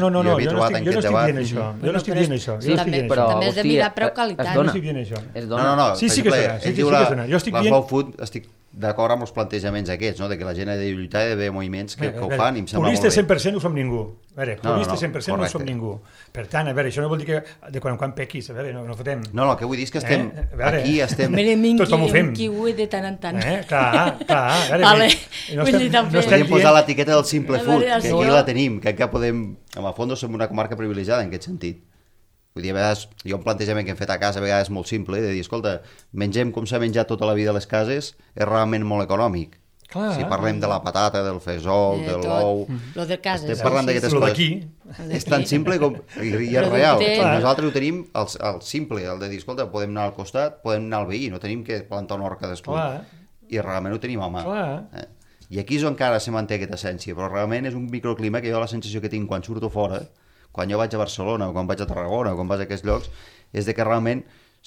estic dient això. També has de mirar preu-qualitat. No estic dient això. No, sí que es dona. Jo estic dient... La slow food, estic d'acord amb els plantejaments aquests, de que la gent ha de lluitar i ha d'haver moviments que ho fan i em sembla molt bé. Puristes 100% ho som ningú. Puristes 100% no som ningú. Per tant, a veure, això no vol dir que de quan en quan pequis, a veure, no fotem. No, el que vull dir és que estem aquí, estem... Tothom ho fem. Un kiwi de tant en tant. Clar. Podríem posar l'etiqueta del simple food, que aquí la tenim, que encara podem... En el fons som una comarca privilegiada en aquest sentit. Vull dir, a vegades, hi ha un plantejament que hem fet a casa, a vegades molt simple, de dir, escolta, mengem com s'ha menjat tota la vida a les cases, és realment molt econòmic. Si parlem de la patata, del fesol, de l'ou... Lo de casa. Estem parlant d'aquestes coses. És tan simple i és real. Nosaltres ho tenim el simple, el de dir, escolta, podem anar al costat, podem anar al veí, no tenim que plantar una horca cadascú. I realment ho tenim a mà. I aquí és on encara se manté aquesta essència, però realment és un microclima que jo la sensació que tinc quan surto fora, quan jo vaig a Barcelona o quan vaig a Tarragona o quan vaig a aquests llocs, és de que realment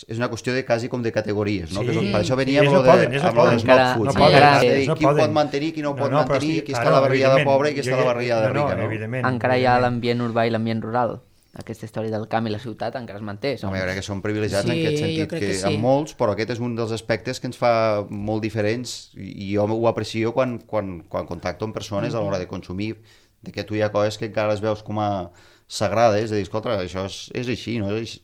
és una qüestió de quasi com de categories, no? Per això veníem amb el slow food. Qui ho pot mantenir, qui no ho pot mantenir, qui està a la barriada pobra i qui està a la barriada rica, no? Encara hi ha l'ambient urbà i l'ambient rural. Aquesta història del camp i la ciutat encara es manté. Jo crec que som privilegiats en aquest sentit, que amb molts, però aquest és un dels aspectes que ens fa molt diferents i jo ho aprecio quan contacto amb persones a l'hora de consumir, de que tu hi ha coses que encara les veus com a sagrades, de dir, escolta, això és així, no? És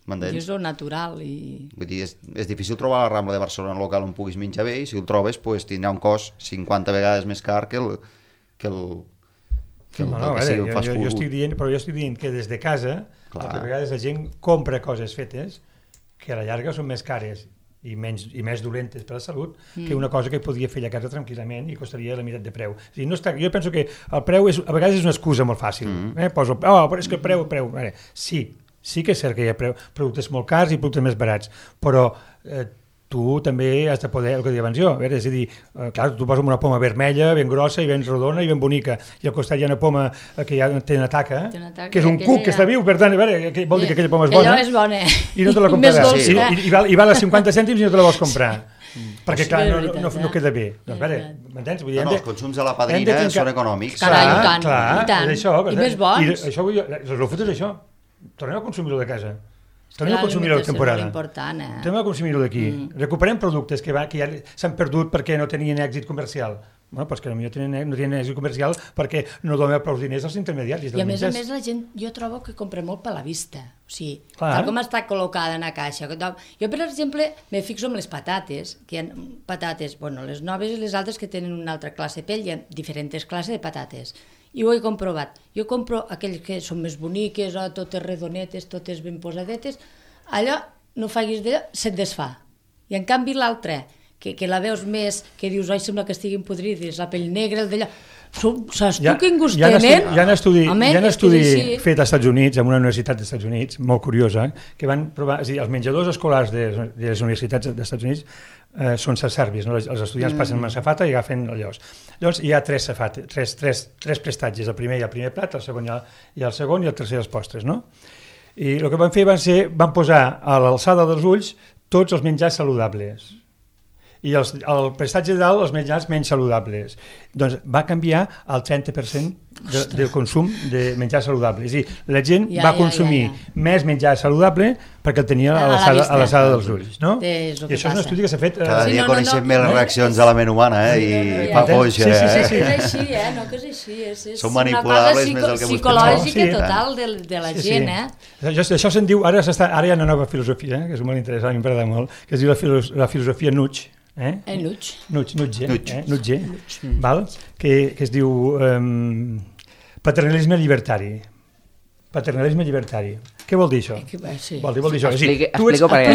lo natural. Vull dir, és difícil trobar la Rambla de Barcelona local on puguis menjar bé, i si el trobes, tindrà un cost 50 vegades més car que el fast food. Jo estic dient que des de casa, a vegades la gent compra coses fetes que a la llarga són més cares i més dolentes per a la salut que una cosa que podria fer a casa tranquil·lament i costaria la meitat de preu. Jo penso que el preu a vegades és una excusa molt fàcil. Poso, però és que el preu... Sí que és cert que hi ha productes molt cars i productes més barats, però tu també has de poder, el que deia abans jo, és a dir, clar, tu poses una poma vermella, ben grossa i ben rodona i ben bonica, i al costat hi ha una poma que ja té una taca, que és un cuc que està viu, per tant, vol dir que aquella poma és bona, i no te la compraràs, i val a 50 cèntims i no te la vols comprar. Perquè, clar, no queda bé. M'entens? Els consums de la padrina són econòmics. Carai, i tant. I més bons. El slow food és això. Tornem a consumir-ho de casa. Tornem a consumir-ho de temporada. Tornem a consumir-ho d'aquí. Recuperem productes que ja s'han perdut perquè no tenien èxit comercial. Bueno, doncs que potser no tenen èxit comercial perquè no donen prou diners als intermediaris. I a més la gent, jo trobo que compra molt per la vista. O sigui, tal com està col·locada en la caixa. Jo, per exemple, me fixo en les patates, que hi ha patates, les noves i les altres que tenen una altra classe de pell, hi ha diferents classes de patates. i ho he comprovat. Jo compro aquells que són més boniques, totes redonetes, totes ben posadetes, allò, no facis d'allò, se't desfà. I en canvi l'altre, que la veus més, que dius, oi, sembla que estiguin podrides, la pell negra, el d'allò, saps tu quin gust tenen? Hi ha un estudi fet als Estats Units, en una universitat dels Estats Units, molt curiosa, que van provar, és a dir, els menjadors escolars de les universitats dels Estats Units són servis, no? Els estudiants passen una safata i agafen allòs. Llavors hi ha tres prestatges, el primer i el primer plat, el segon i el segon, i el tercer els postres, no? I el que van fer van posar a l'alçada dels ulls tots els menjars saludables i el prestatge de dalt els menjars menys saludables. Doncs va canviar el 30% del consum de menjar saludable. És a dir, la gent va consumir més menjar saludable perquè el tenia a l'alçada dels ulls. No? I això és un estudi que s'ha fet... Cada dia coneixem més les reaccions de la ment humana i fa foixa. És així, no que és així. És una cosa psicològica total de la gent. Això se'n diu, ara hi ha una nova filosofia, que és molt interessant, m'agrada molt, que es diu la filosofia Nudge. Nudge, val? Que es diu paternalisme llibertari. Paternalisme llibertari. Què vol dir això? Vol dir això. Explico perquè...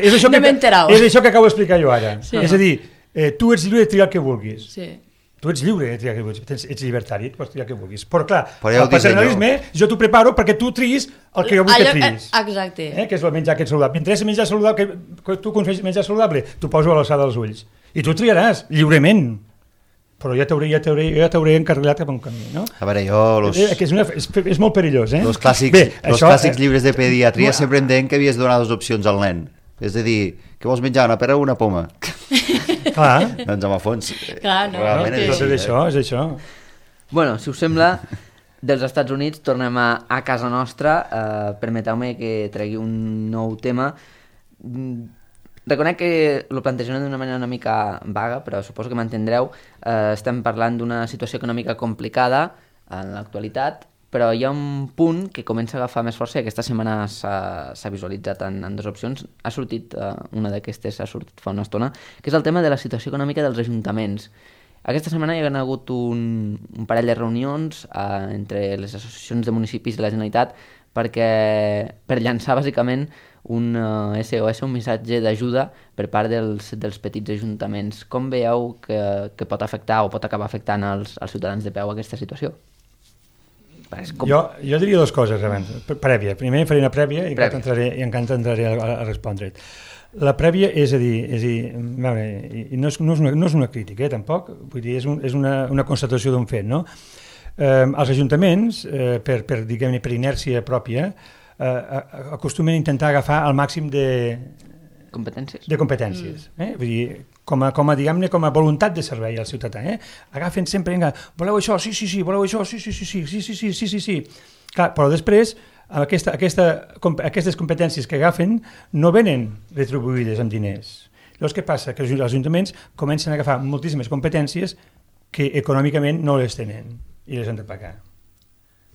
És això que acabo d'explicar jo ara. És a dir, tu ets lliure de triar el que vulguis. Tu ets lliure de triar el que vulguis. Ets llibertari, pots triar el que vulguis. Però clar, el paternalisme, jo t'ho preparo perquè tu triïs el que jo vull que triïs. Exacte. Que és el menjar aquest saludable. M'interessa menjar saludable, que tu consumeixis menjar saludable, t'ho poso a l'alçada dels ulls. I tu triaràs, lliurement. Però ja t'hauré encarrilat cap a un camí, no? A veure, és molt perillós, eh? Els clàssics llibres de pediatria sempre em deien que havies de donar 2 opcions al nen. És a dir, què vols menjar, una pera o una poma? Clar. Doncs amb el fons, realment és això. Bueno, si us sembla, dels Estats Units tornem a casa nostra. Permeteu-me que tregui un nou tema. Reconec que ho plantejaré d'una manera una mica vaga, però suposo que m'entendreu. Estem parlant d'una situació econòmica complicada en l'actualitat, però hi ha un punt que comença a agafar més força i aquesta setmana s'ha visualitzat en 2 opcions. Ha sortit, una d'aquestes ha sortit fa una estona, que és el tema de la situació econòmica dels ajuntaments. Aquesta setmana hi ha hagut un parell de reunions entre les associacions de municipis de la Generalitat per llançar bàsicament un SOS, un missatge d'ajuda per part dels petits ajuntaments. Com veieu que pot afectar o pot acabar afectant als ciutadans de peu aquesta situació? Jo diria 2 coses abans. Prèvia. Primer faré una prèvia i encara entraré a respondre't. La prèvia és a dir, no és una crítica, tampoc, vull dir, és una constatació d'un fet, no? Els ajuntaments, per inèrcia pròpia, acostumen a intentar agafar el màxim de competències. Vull dir, com a voluntat de servei al ciutadà. Agafen sempre, voleu això? Sí, voleu això? Sí. Clar, però després, aquestes competències que agafen no venen retribuïdes amb diners. Llavors, què passa? Que els ajuntaments comencen a agafar moltíssimes competències que econòmicament no les tenen i les han de pagar.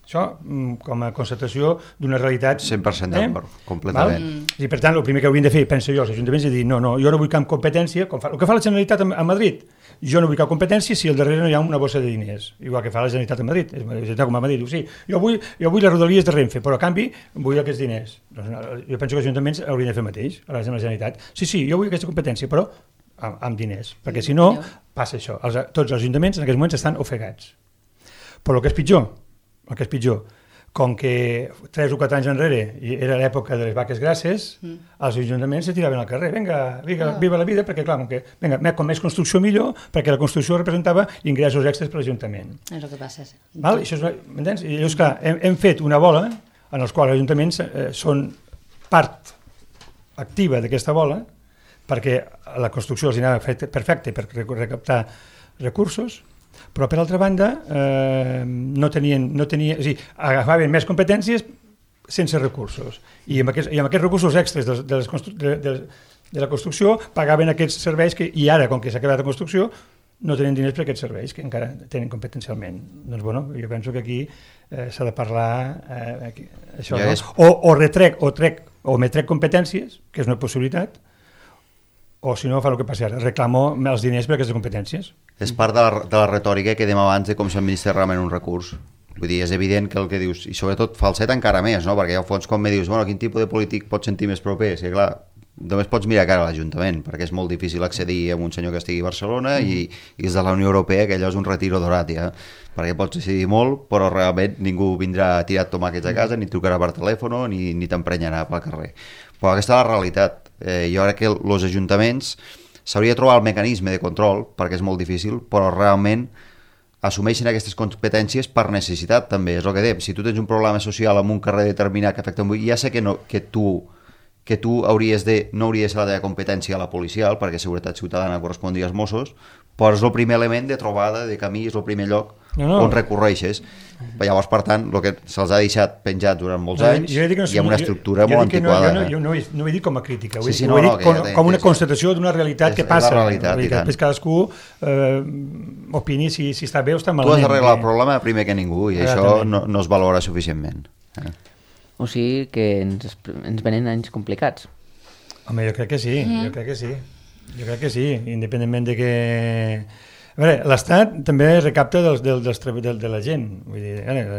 Això com a constatació d'una realitat... 100% d'acord, completament. I per tant, el primer que haurien de fer, penso jo, els ajuntaments, és dir, no, jo no vull cap competència, el que fa la Generalitat a Madrid, jo no vull cap competència si al darrere no hi ha una bossa de diners, igual que fa la Generalitat a Madrid, la Generalitat com a Madrid, diu, sí, jo vull les rodalies de Renfe, però a canvi vull aquests diners. Doncs, jo penso que els ajuntaments haurien de fer el mateix, a la Generalitat. Sí, jo vull aquesta competència, però amb diners, perquè si no, passa això. Tots els ajuntaments en aquests moments estan ofegats. Però el que és pitjor, com que 3 o 4 anys enrere era l'època de les vaques grasses, els ajuntaments se tiraven al carrer, viva la vida, perquè clar, com més construcció millor, perquè la construcció representava ingressos extres per l'Ajuntament. És el que passa. M'entens? I llavors, clar, hem fet una bola en la qual els ajuntaments són part activa d'aquesta bola, perquè la construcció els anava perfecte per recaptar recursos, però per altra banda no tenien, és a dir, agafaven més competències sense recursos i amb aquests recursos extres de la construcció pagaven aquests serveis i ara, com que s'ha acabat la construcció, no tenen diners per aquests serveis que encara tenen competencialment. Doncs bueno, jo penso que aquí s'ha de parlar això, no? O me trec competències, que és una possibilitat, o si no fa el que passa ara, reclamo els diners per aquestes competències. És part de la retòrica que dèiem abans de com s'administra realment un recurs. Vull dir, és evident que el que dius, i sobretot falset encara més, no? Perquè al fons com me dius, bueno, quin tipus de polític pots sentir més proper? És que clar, només pots mirar cara a l'Ajuntament, perquè és molt difícil accedir a un senyor que estigui a Barcelona i és de la Unió Europea, que allò és un retiro dorat ja, perquè pots decidir molt, però realment ningú vindrà a tirar tomàquets a casa, ni trucarà per telèfon, ni t'emprenyarà pel carrer. Però aquesta és la realitat. Jo crec que els ajuntaments s'hauria de trobar el mecanisme de control, perquè és molt difícil, però realment assumeixen aquestes competències per necessitat també, és el que dèiem. Si tu tens un problema social en un carrer determinat que afecta un ja sé que tu no hauries de ser la teva competència a la policial, perquè seguretat ciutadana correspondria als Mossos, però és el primer element de trobada de camí, és el primer lloc on recorreixes. Llavors, per tant, el que se'ls ha deixat penjat durant molts anys i amb una estructura molt antiquada. Jo no ho he dit com a crítica, ho he dit com una constatació d'una realitat que passa. Després cadascú opini si està bé o està malament. Tu has d'arreglar el problema primer que ningú i això no es valora suficientment. O sigui que ens venen anys complicats. Home, jo crec que sí, Jo crec que sí, independentment de que... A veure, l'Estat també recapta de la gent. Vull dir,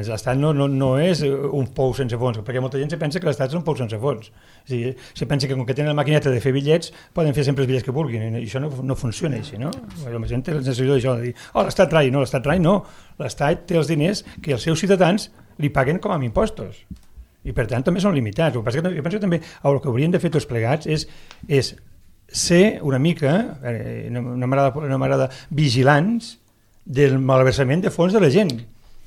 l'Estat no és un pou sense fons, perquè molta gent se pensa que l'Estat és un pou sense fons. O sigui, se pensa que com que tenen la maquineta de fer bitllets, poden fer sempre els bitllets que vulguin, i això no funciona així, no? La gent té la sensació d'això, de dir, l'Estat trai, no, l'Estat té els diners que els seus ciutadans li paguen com a impostos. I per tant també són limitats. El que passa que jo penso que també el que haurien de fer tots plegats és ser una mica, no m'agrada, vigilants del malversament de fons de la gent.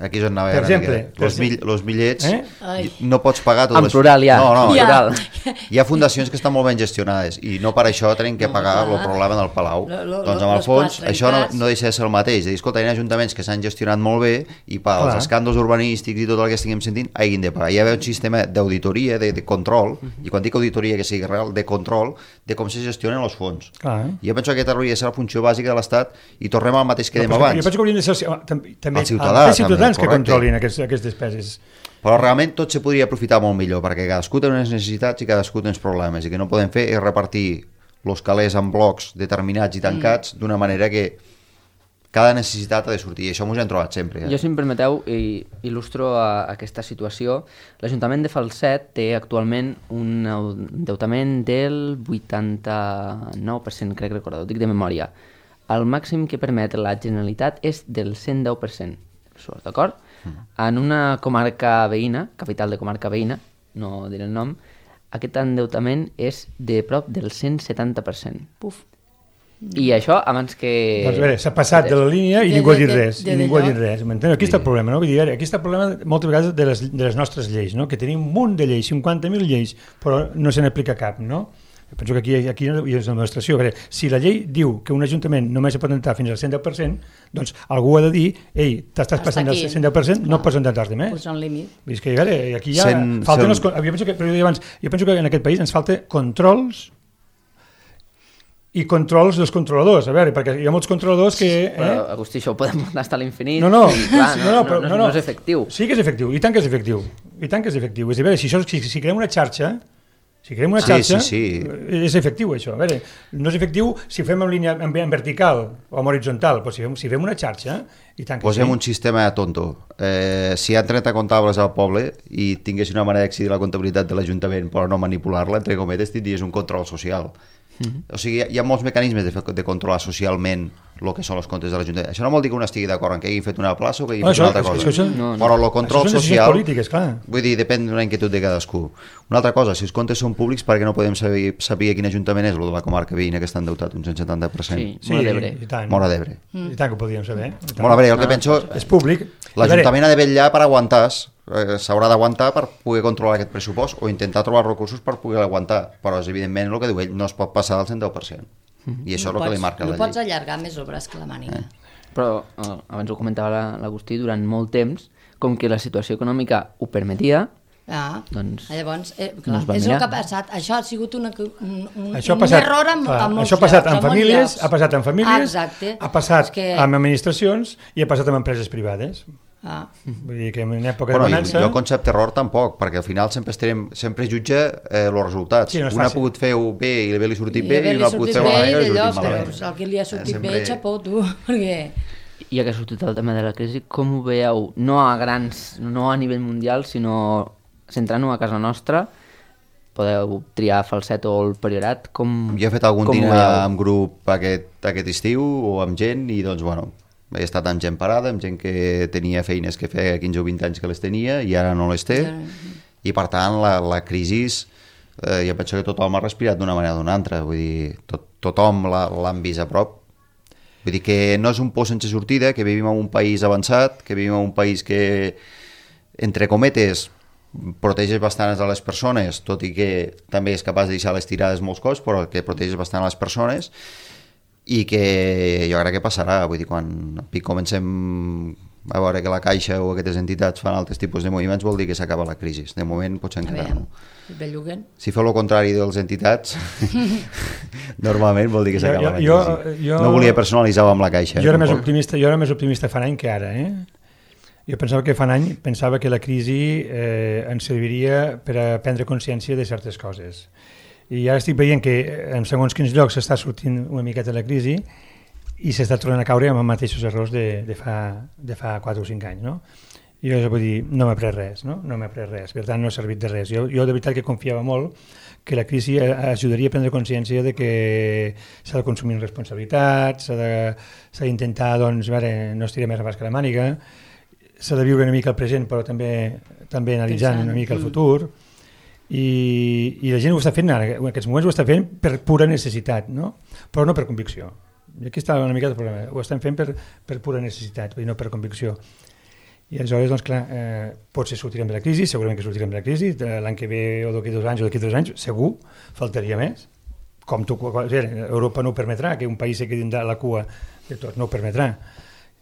Aquí és on anava per exemple, els bitllets no pots pagar en plural ja. No. Hi ha fundacions que estan molt ben gestionades i no per això tenim que pagar el problema del Palau. Doncs amb el fons això no deixa de ser el mateix, de dir, escolta, hi ha ajuntaments que s'han gestionat molt bé i pels escàndols urbanístics i tot el que estiguem sentint hagin de pagar. Hi ha un sistema d'auditoria, de control, i quan dic auditoria que sigui real, de control de com se gestionen els fons. Jo penso que aquesta hauria de ser la funció bàsica de l'Estat i tornem al mateix que dèiem abans. Jo penso que haurien de ser també els ciutadans que controlin aquestes despeses. Però realment tot se podria aprofitar molt millor, perquè cadascú té unes necessitats i cadascú té uns problemes, i que no podem fer és repartir els calés en blocs determinats i tancats d'una manera que cada necessitat ha de sortir, i això m'ho hem trobat sempre. Jo, si em permeteu, il·lustro aquesta situació. L'Ajuntament de Falset té actualment un endeutament del 89%, crec recordar, ho dic de memòria. El màxim que permet la Generalitat és del 110%. D'acord? En una comarca veïna, capital de comarca veïna, no diré el nom, aquest endeutament és de prop del 170%. Puf. I això abans que... Doncs bé, s'ha passat de la línia i ningú ha dit res. Aquí està el problema, no? Vull dir, aquí està el problema moltes vegades de les nostres lleis, no? Que tenim un munt de lleis, 50.000 lleis, però no se n'aplica cap, no? Penso que aquí hi és l'administració. Si la llei diu que un ajuntament només pot entrar fins al 110%, doncs algú ha de dir, ei, t'estàs passant del 110%, no pots entrar més. Posar un límit. Aquí ja falten jo penso que en aquest país ens falta controls i controls dels controladors, perquè hi ha molts controladors que... Però, Agustí, això ho podem muntar fins a l'infinit. No és efectiu. Sí que és efectiu, i tant que és efectiu. És a veure, si creem una xarxa, és efectiu això. A veure, no és efectiu si ho fem en línia en vertical o en horitzontal, però si fem una xarxa, i tant que posem un sistema tonto. Si hi ha 30 comptables al poble i tinguessin una manera d'accedir a la comptabilitat de l'Ajuntament però no manipular-la, entre cometes, tindries un control social. O sigui, hi ha molts mecanismes de controlar socialment el que són els comptes de l'Ajuntament. Això no vol dir que un estigui d'acord en que hagin fet una plaça o que hagin fet una altra cosa. Però el control social, polítiques, vull dir, depèn d'una inquietud de cadascú. Una altra cosa, si els comptes són públics, per què no podem saber quin Ajuntament és el de la comarca veïna que està endeutat un 170%? Sí, Móra d'Ebre. Móra d'Ebre. I tant que ho podíem saber. Móra d'Ebre, el que penso... És públic. L'Ajuntament ha de vetllar per aguantar, s'haurà d'aguantar per poder controlar aquest pressupost o intentar trobar recursos per poder aguantar, però és evidentment el que diu ell, no es pot passar del 110%. I això és el que li marca la llei. No pots allargar més obres que la màniga. Però, abans ho comentava l'Agustí, durant molt temps, com que la situació econòmica ho permetia, doncs llavors, clar, és el que ha passat. Això ha sigut un error amb molts això ha passat en famílies, ha passat Exacte. ha passat amb administracions i ha passat amb empreses privades. Vull dir que en època de Bueno, bonança... jo el concepte error tampoc, perquè al final sempre jutja els resultats. Sí, no és un ha fàcil. pogut fer-ho bé i li ha sortit bé, i un ha pogut fer-ho malament i li ha sortit malament. Però el que li ha sortit Sempre- bé, xapó, tu, perquè... Ja que ha sortit el tema de la crisi, com ho veieu? No a nivell mundial, sinó centrant-ho a casa nostra, podeu triar Falset o el Priorat, com Jo he fet algun com ho dinar veieu? amb grup aquest estiu o amb gent i doncs bueno, he estat amb gent parada, amb gent que tenia feines que feia 15 o 20 anys que les tenia i ara no les té i per tant la crisi jo penso que tothom ha respirat d'una manera o d'una altra, vull dir, tothom l'han vist a prop. Vull dir que no és un por sense sortida, que vivim en un país avançat, que vivim en un país que, entre cometes, protegeix bastant a les persones, tot i que també és capaç de deixar les tirades molts cops, però que protegeix bastant a les persones i que jo crec que passarà. Vull dir, quan comencem a veure que la Caixa o aquestes entitats fan altres tipus de moviments, vol dir que s'acaba la crisi. De moment potser encara no. Belluguen. Si feu el contrari de les entitats, normalment vol dir que s'acaba la crisi. No volia personalitzar-ho amb la Caixa. Jo era més optimista fa un any que ara, Jo pensava que fa un any que la crisi ens serviria per a prendre consciència de certes coses. I ara estic veient que en segons quins llocs s'està sortint una miqueta la crisi i s'està tornant a caure amb els mateixos errors de fa 4 o 5 anys, no? I jo vull dir, no m'ha pres res, no? No m'ha pres res, per tant no ha servit de res. Jo de veritat que confiava molt que la crisi ajudaria a prendre consciència de que s'ha de consumir amb responsabilitat, s'ha d'intentar, doncs, a veure, no estirar més abans que la màniga, s'ha de viure una mica el present però també analitzant una mica el futur i la gent ho està fent ara, en aquests moments ho està fent per pura necessitat, no? Però no per convicció. I aquí està una mica el problema, ho estan fent per pura necessitat, no per convicció. I aleshores, doncs clar, potser sortirem de la crisi, segurament que sortirem de la crisi, l'any que ve o d'aquí 2 anys o d'aquí 3 anys, segur, faltaria més. Com Europa no ho permetrà, que un país se quedi a la cua de tot, no ho permetrà.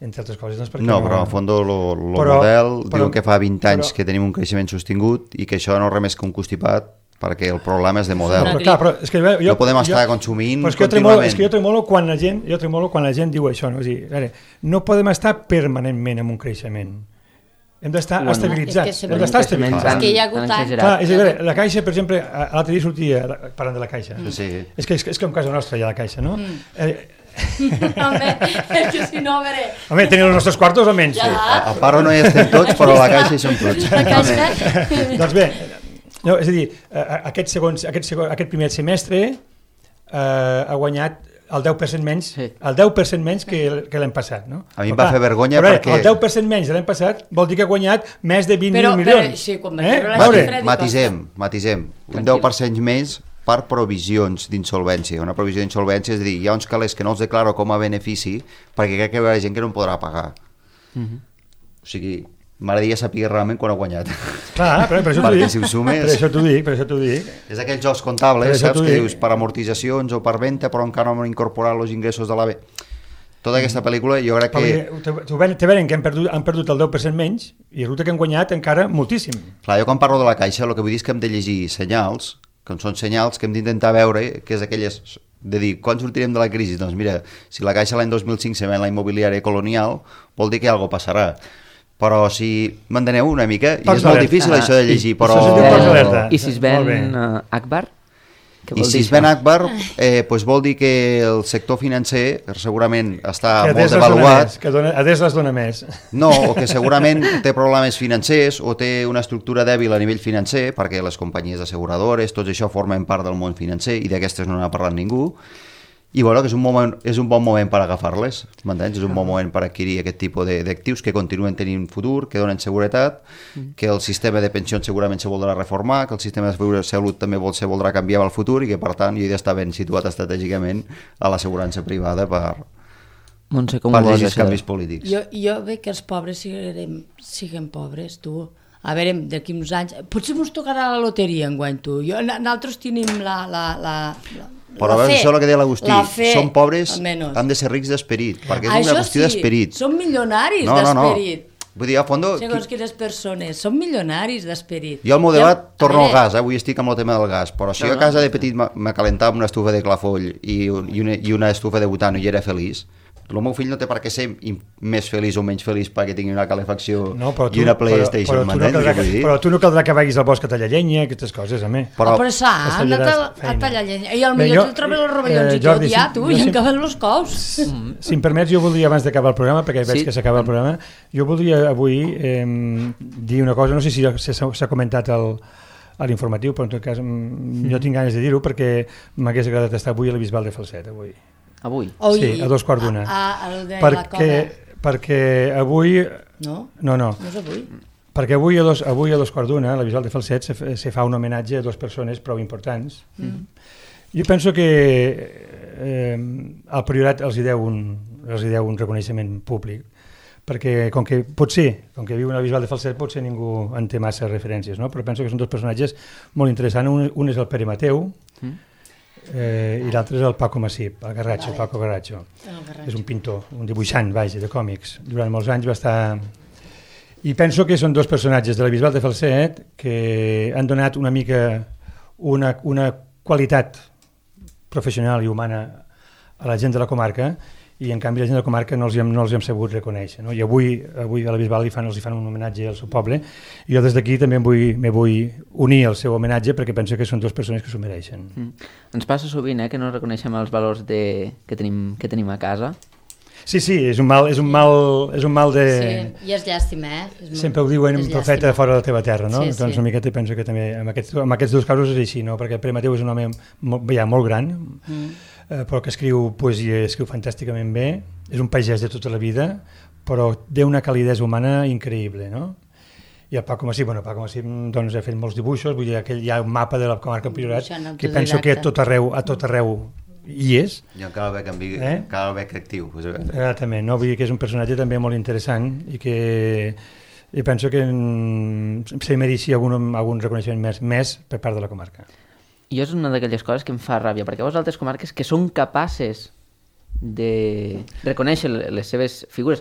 Entre altres coses, doncs perquè... No, però en fons el model diu que fa 20 anys que tenim un creixement sostingut i que això no és res més que un constipat perquè el problema és de model. Però és que no podem estar consumint contínuament. És que jo tremolo quan la gent diu això. No? És dir, no podem estar permanentment en un creixement. Hem d'estar estabilitzats. Hem d'estar estabilitzats. És que hi ha hagut anys. La Caixa, per exemple, l'altre dia sortia parlant de la Caixa. Sí. És que a casa nostra hi ha la Caixa, no? Home, és que si no, a veure... Home, teniu els nostres quartos almenys. A part no hi estem tots, però a la Caixa hi som tots. Doncs bé, no, és a dir, aquest primer semestre ha guanyat el 10% menys, el 10% menys que l'any passat, no? A mi em va fer vergonya perquè... El 10% menys de l'any passat vol dir que ha guanyat més de 20.000 milions. Matisem. Un 10% més per provisions d'insolvència. Una provisió d'insolvència és a dir, hi ha uns calés que no els declaro com a benefici perquè crec que hi haurà gent que no em podrà pagar. O sigui, m'agradaria saber realment quan ha guanyat. Clar, per això t'ho dic. És aquells jocs comptables, saps, que dius per amortitzacions o per venda, però encara no han incorporat els ingressos de l'AVE. Tota aquesta pel·lícula jo crec que... Te venen que han perdut el 10% menys i resulta que han guanyat encara moltíssim. Clar, jo quan parlo de la Caixa el que vull dir és que hem de llegir senyals, que són senyals que hem d'intentar veure, que és aquelles de dir, quan sortirem de la crisi? Doncs mira, si la Caixa l'any 2005 se ven la immobiliària colonial, vol dir que alguna cosa passarà. Però si m'enteneu una mica, i és molt difícil això de llegir, però... I si es ven Akbar? I si es ven Akbar, doncs vol dir que el sector financer segurament està molt devaluat. Que Ades les dona més. No, o que segurament té problemes financers o té una estructura dèbil a nivell financer, perquè les companyies asseguradores, tots això formen part del món financer i d'aquestes no n'ha parlat ningú. I bueno, que és un bon moment per agafar-les, m'entens? És un bon moment per adquirir aquest tipus d'actius que continuen tenint futur, que donen seguretat, que el sistema de pensions segurament se voldrà reformar, que el sistema de salut també se voldrà canviar al futur i que per tant jo he d'estar ben situat estratègicament a l'assegurança privada per llegir els canvis polítics. Jo veig que els pobres siguen pobres, tu. A veure, d'aquí uns anys... Potser ens tocarà la loteria enguany, tu. Nosaltres tenim però a veure, això és el que deia l'Agustí, són pobres, han de ser rics d'esperit, perquè és una qüestió d'esperit. Són milionaris d'esperit. Vull dir, a fons... Segons quines persones, són milionaris d'esperit. Jo al meu debat torno al gas, avui estic amb el tema del gas, però si jo a casa de petit me calentava una estufa de clafoll i una estufa de butano i era feliç, El meu fill no té per què ser més feliç o menys feliç perquè tingui una calefacció i una PlayStation, però tu no caldrà que vagis al bosc a tallar llenya, aquestes coses, home. Però s'ha anat a tallar llenya. I potser jo trobo els rovellons i tot, ja, tu, i acaben els cous. Si em permets, jo voldria, abans d'acabar el programa, perquè veig que s'acaba el programa, jo voldria avui dir una cosa, no sé si s'ha comentat a l'informatiu, però en tot cas jo tinc ganes de dir-ho perquè m'hagués agradat estar avui a la Bisbal de Falset, avui. Avui? Sí, a 2:15. Perquè avui... No? No és avui. Perquè avui a 2:15 a la Bisbal de Falset se fa un homenatge a dues persones prou importants. Jo penso que el Priorat els hi deu un reconeixement públic, perquè com que viu a la Bisbal de Falset potser ningú en té massa referències, no? Però penso que són dos personatges molt interessants. Un és el Pere Mateu, i l'altre és el Paco Massip, el Paco Garratxo. És un pintor, un dibuixant, de còmics. Durant molts anys va estar... I penso que són dos personatges de la Bisbal de Falset que han donat una mica una qualitat professional i humana a la gent de la comarca, i en canvi la gent de la comarca no els hem sabut reconèixer, no? I avui a la Bisbal els hi fan un homenatge al seu poble, i jo des d'aquí també me vull unir al seu homenatge perquè penso que són dues persones que s'ho mereixen. Ens passa sovint que no reconeixem els valors que tenim a casa. Sí, és un mal de... Sí, i és llàstima, Sempre ho diuen, profeta fora de la teva terra, no? Doncs una miqueta penso que també en aquests dos casos és així, no? Perquè Pere Mateu és un home molt gran, però que escriu poesia, escriu fantàsticament bé, és un pagès de tota la vida, però té una calidesa humana increïble, no? I el Paco Massip, doncs, ha fet molts dibuixos, vull dir, hi ha un mapa de la comarca del Priorat que penso que a tot arreu hi és. I cal haver actiu. Exactament, no? Vull dir que és un personatge també molt interessant i que penso que se mereixia algun reconeixement més per part de la comarca. I és una d'aquelles coses que em fa ràbia, perquè vos altres comarques que són capaces de reconèixer les seves figures,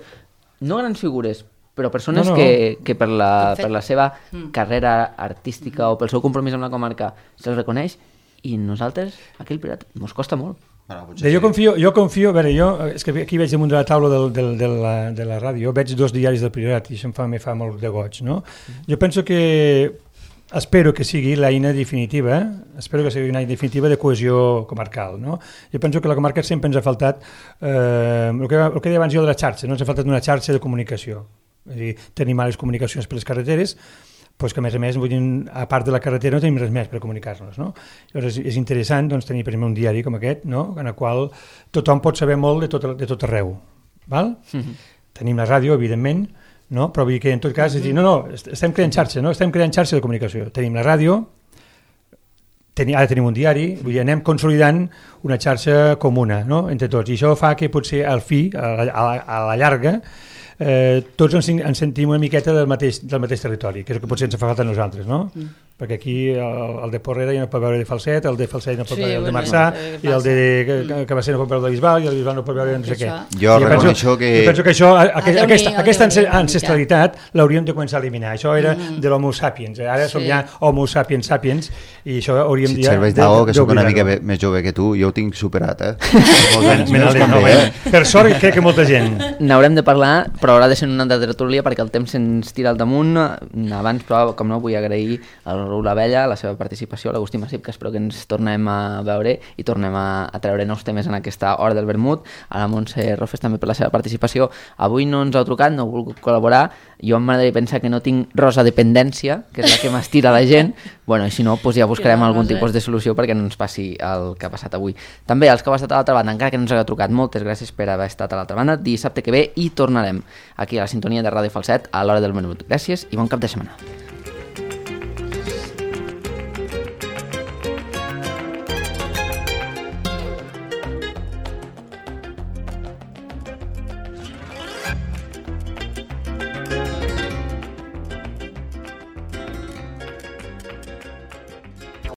no grans figures, però persones que per la seva carrera artística o pel seu compromís amb la comarca se'ls reconeix, i nosaltres, aquí al Priorat, ens costa molt. Jo confio, a veure, és que aquí veig damunt de la taula de la ràdio, veig dos diaris del Priorat i això me fa molt de goig, no? Jo penso que espero que sigui l'eina definitiva, de cohesió comarcal, no? Jo penso que a la comarca sempre ens ha faltat el que deia abans jo de la xarxa, no? Ens ha faltat una xarxa de comunicació. És a dir, tenim males comunicacions per les carreteres, doncs que a més, a part de la carretera no tenim res més per comunicar-nos, no? Llavors és interessant tenir, per exemple, un diari com aquest, no? En el qual tothom pot saber molt de tot arreu, val? Tenim la ràdio, evidentment, no? Però vull dir que en tot cas, estem creant xarxa, no? Estem creant xarxa de comunicació. Tenim la ràdio, ara tenim un diari, vull dir, anem consolidant una xarxa comuna, no? Entre tots, i això fa que potser al fi, a la llarga, tots ens sentim una miqueta del mateix territori, que és el que potser ens fa falta a nosaltres, no? Perquè aquí el de Porrera ja no pot veure de Falset, el de Falset no pot veure el de Marçà, i el de Cabasser no pot veure el de Bisbal, i el de Bisbal no pot veure no sé què. Jo reconeixo que... penso que aquesta ancestralitat l'hauríem de començar a eliminar. Això era de l'Homo sapiens, ara som ja Homo sapiens sapiens, i això hauríem de... Si et serveix d'algo, que soc una mica més jove que tu, jo ho tinc superat, Per sort crec que molta gent. N'haurem de parlar, però haurà de ser una altra tertúlia perquè el temps se'ns tira al damunt. Abans, però, com no, vull agrair al Raül Abella la seva participació, l'Agustí Massip, que espero que ens tornem a veure i tornem a treure nous temes en aquesta hora del vermut, a la Montse Rofes també per la seva participació. Avui no ens heu trucat, no heu volgut col·laborar, jo m'agradaria pensar que no tinc rosa dependència, que és la que m'estira la gent, bueno, i si no, doncs ja buscarem algun tipus de solució perquè no ens passi el que ha passat avui. També els que heu estat a l'altra banda, encara que no ens hagueu trucat, moltes gràcies per haver estat a l'altra banda. Dissabte que ve hi tornarem aquí a la sintonia de Ràdio Falset a l'hora del vermut. Gràcies i bon cap de setmana.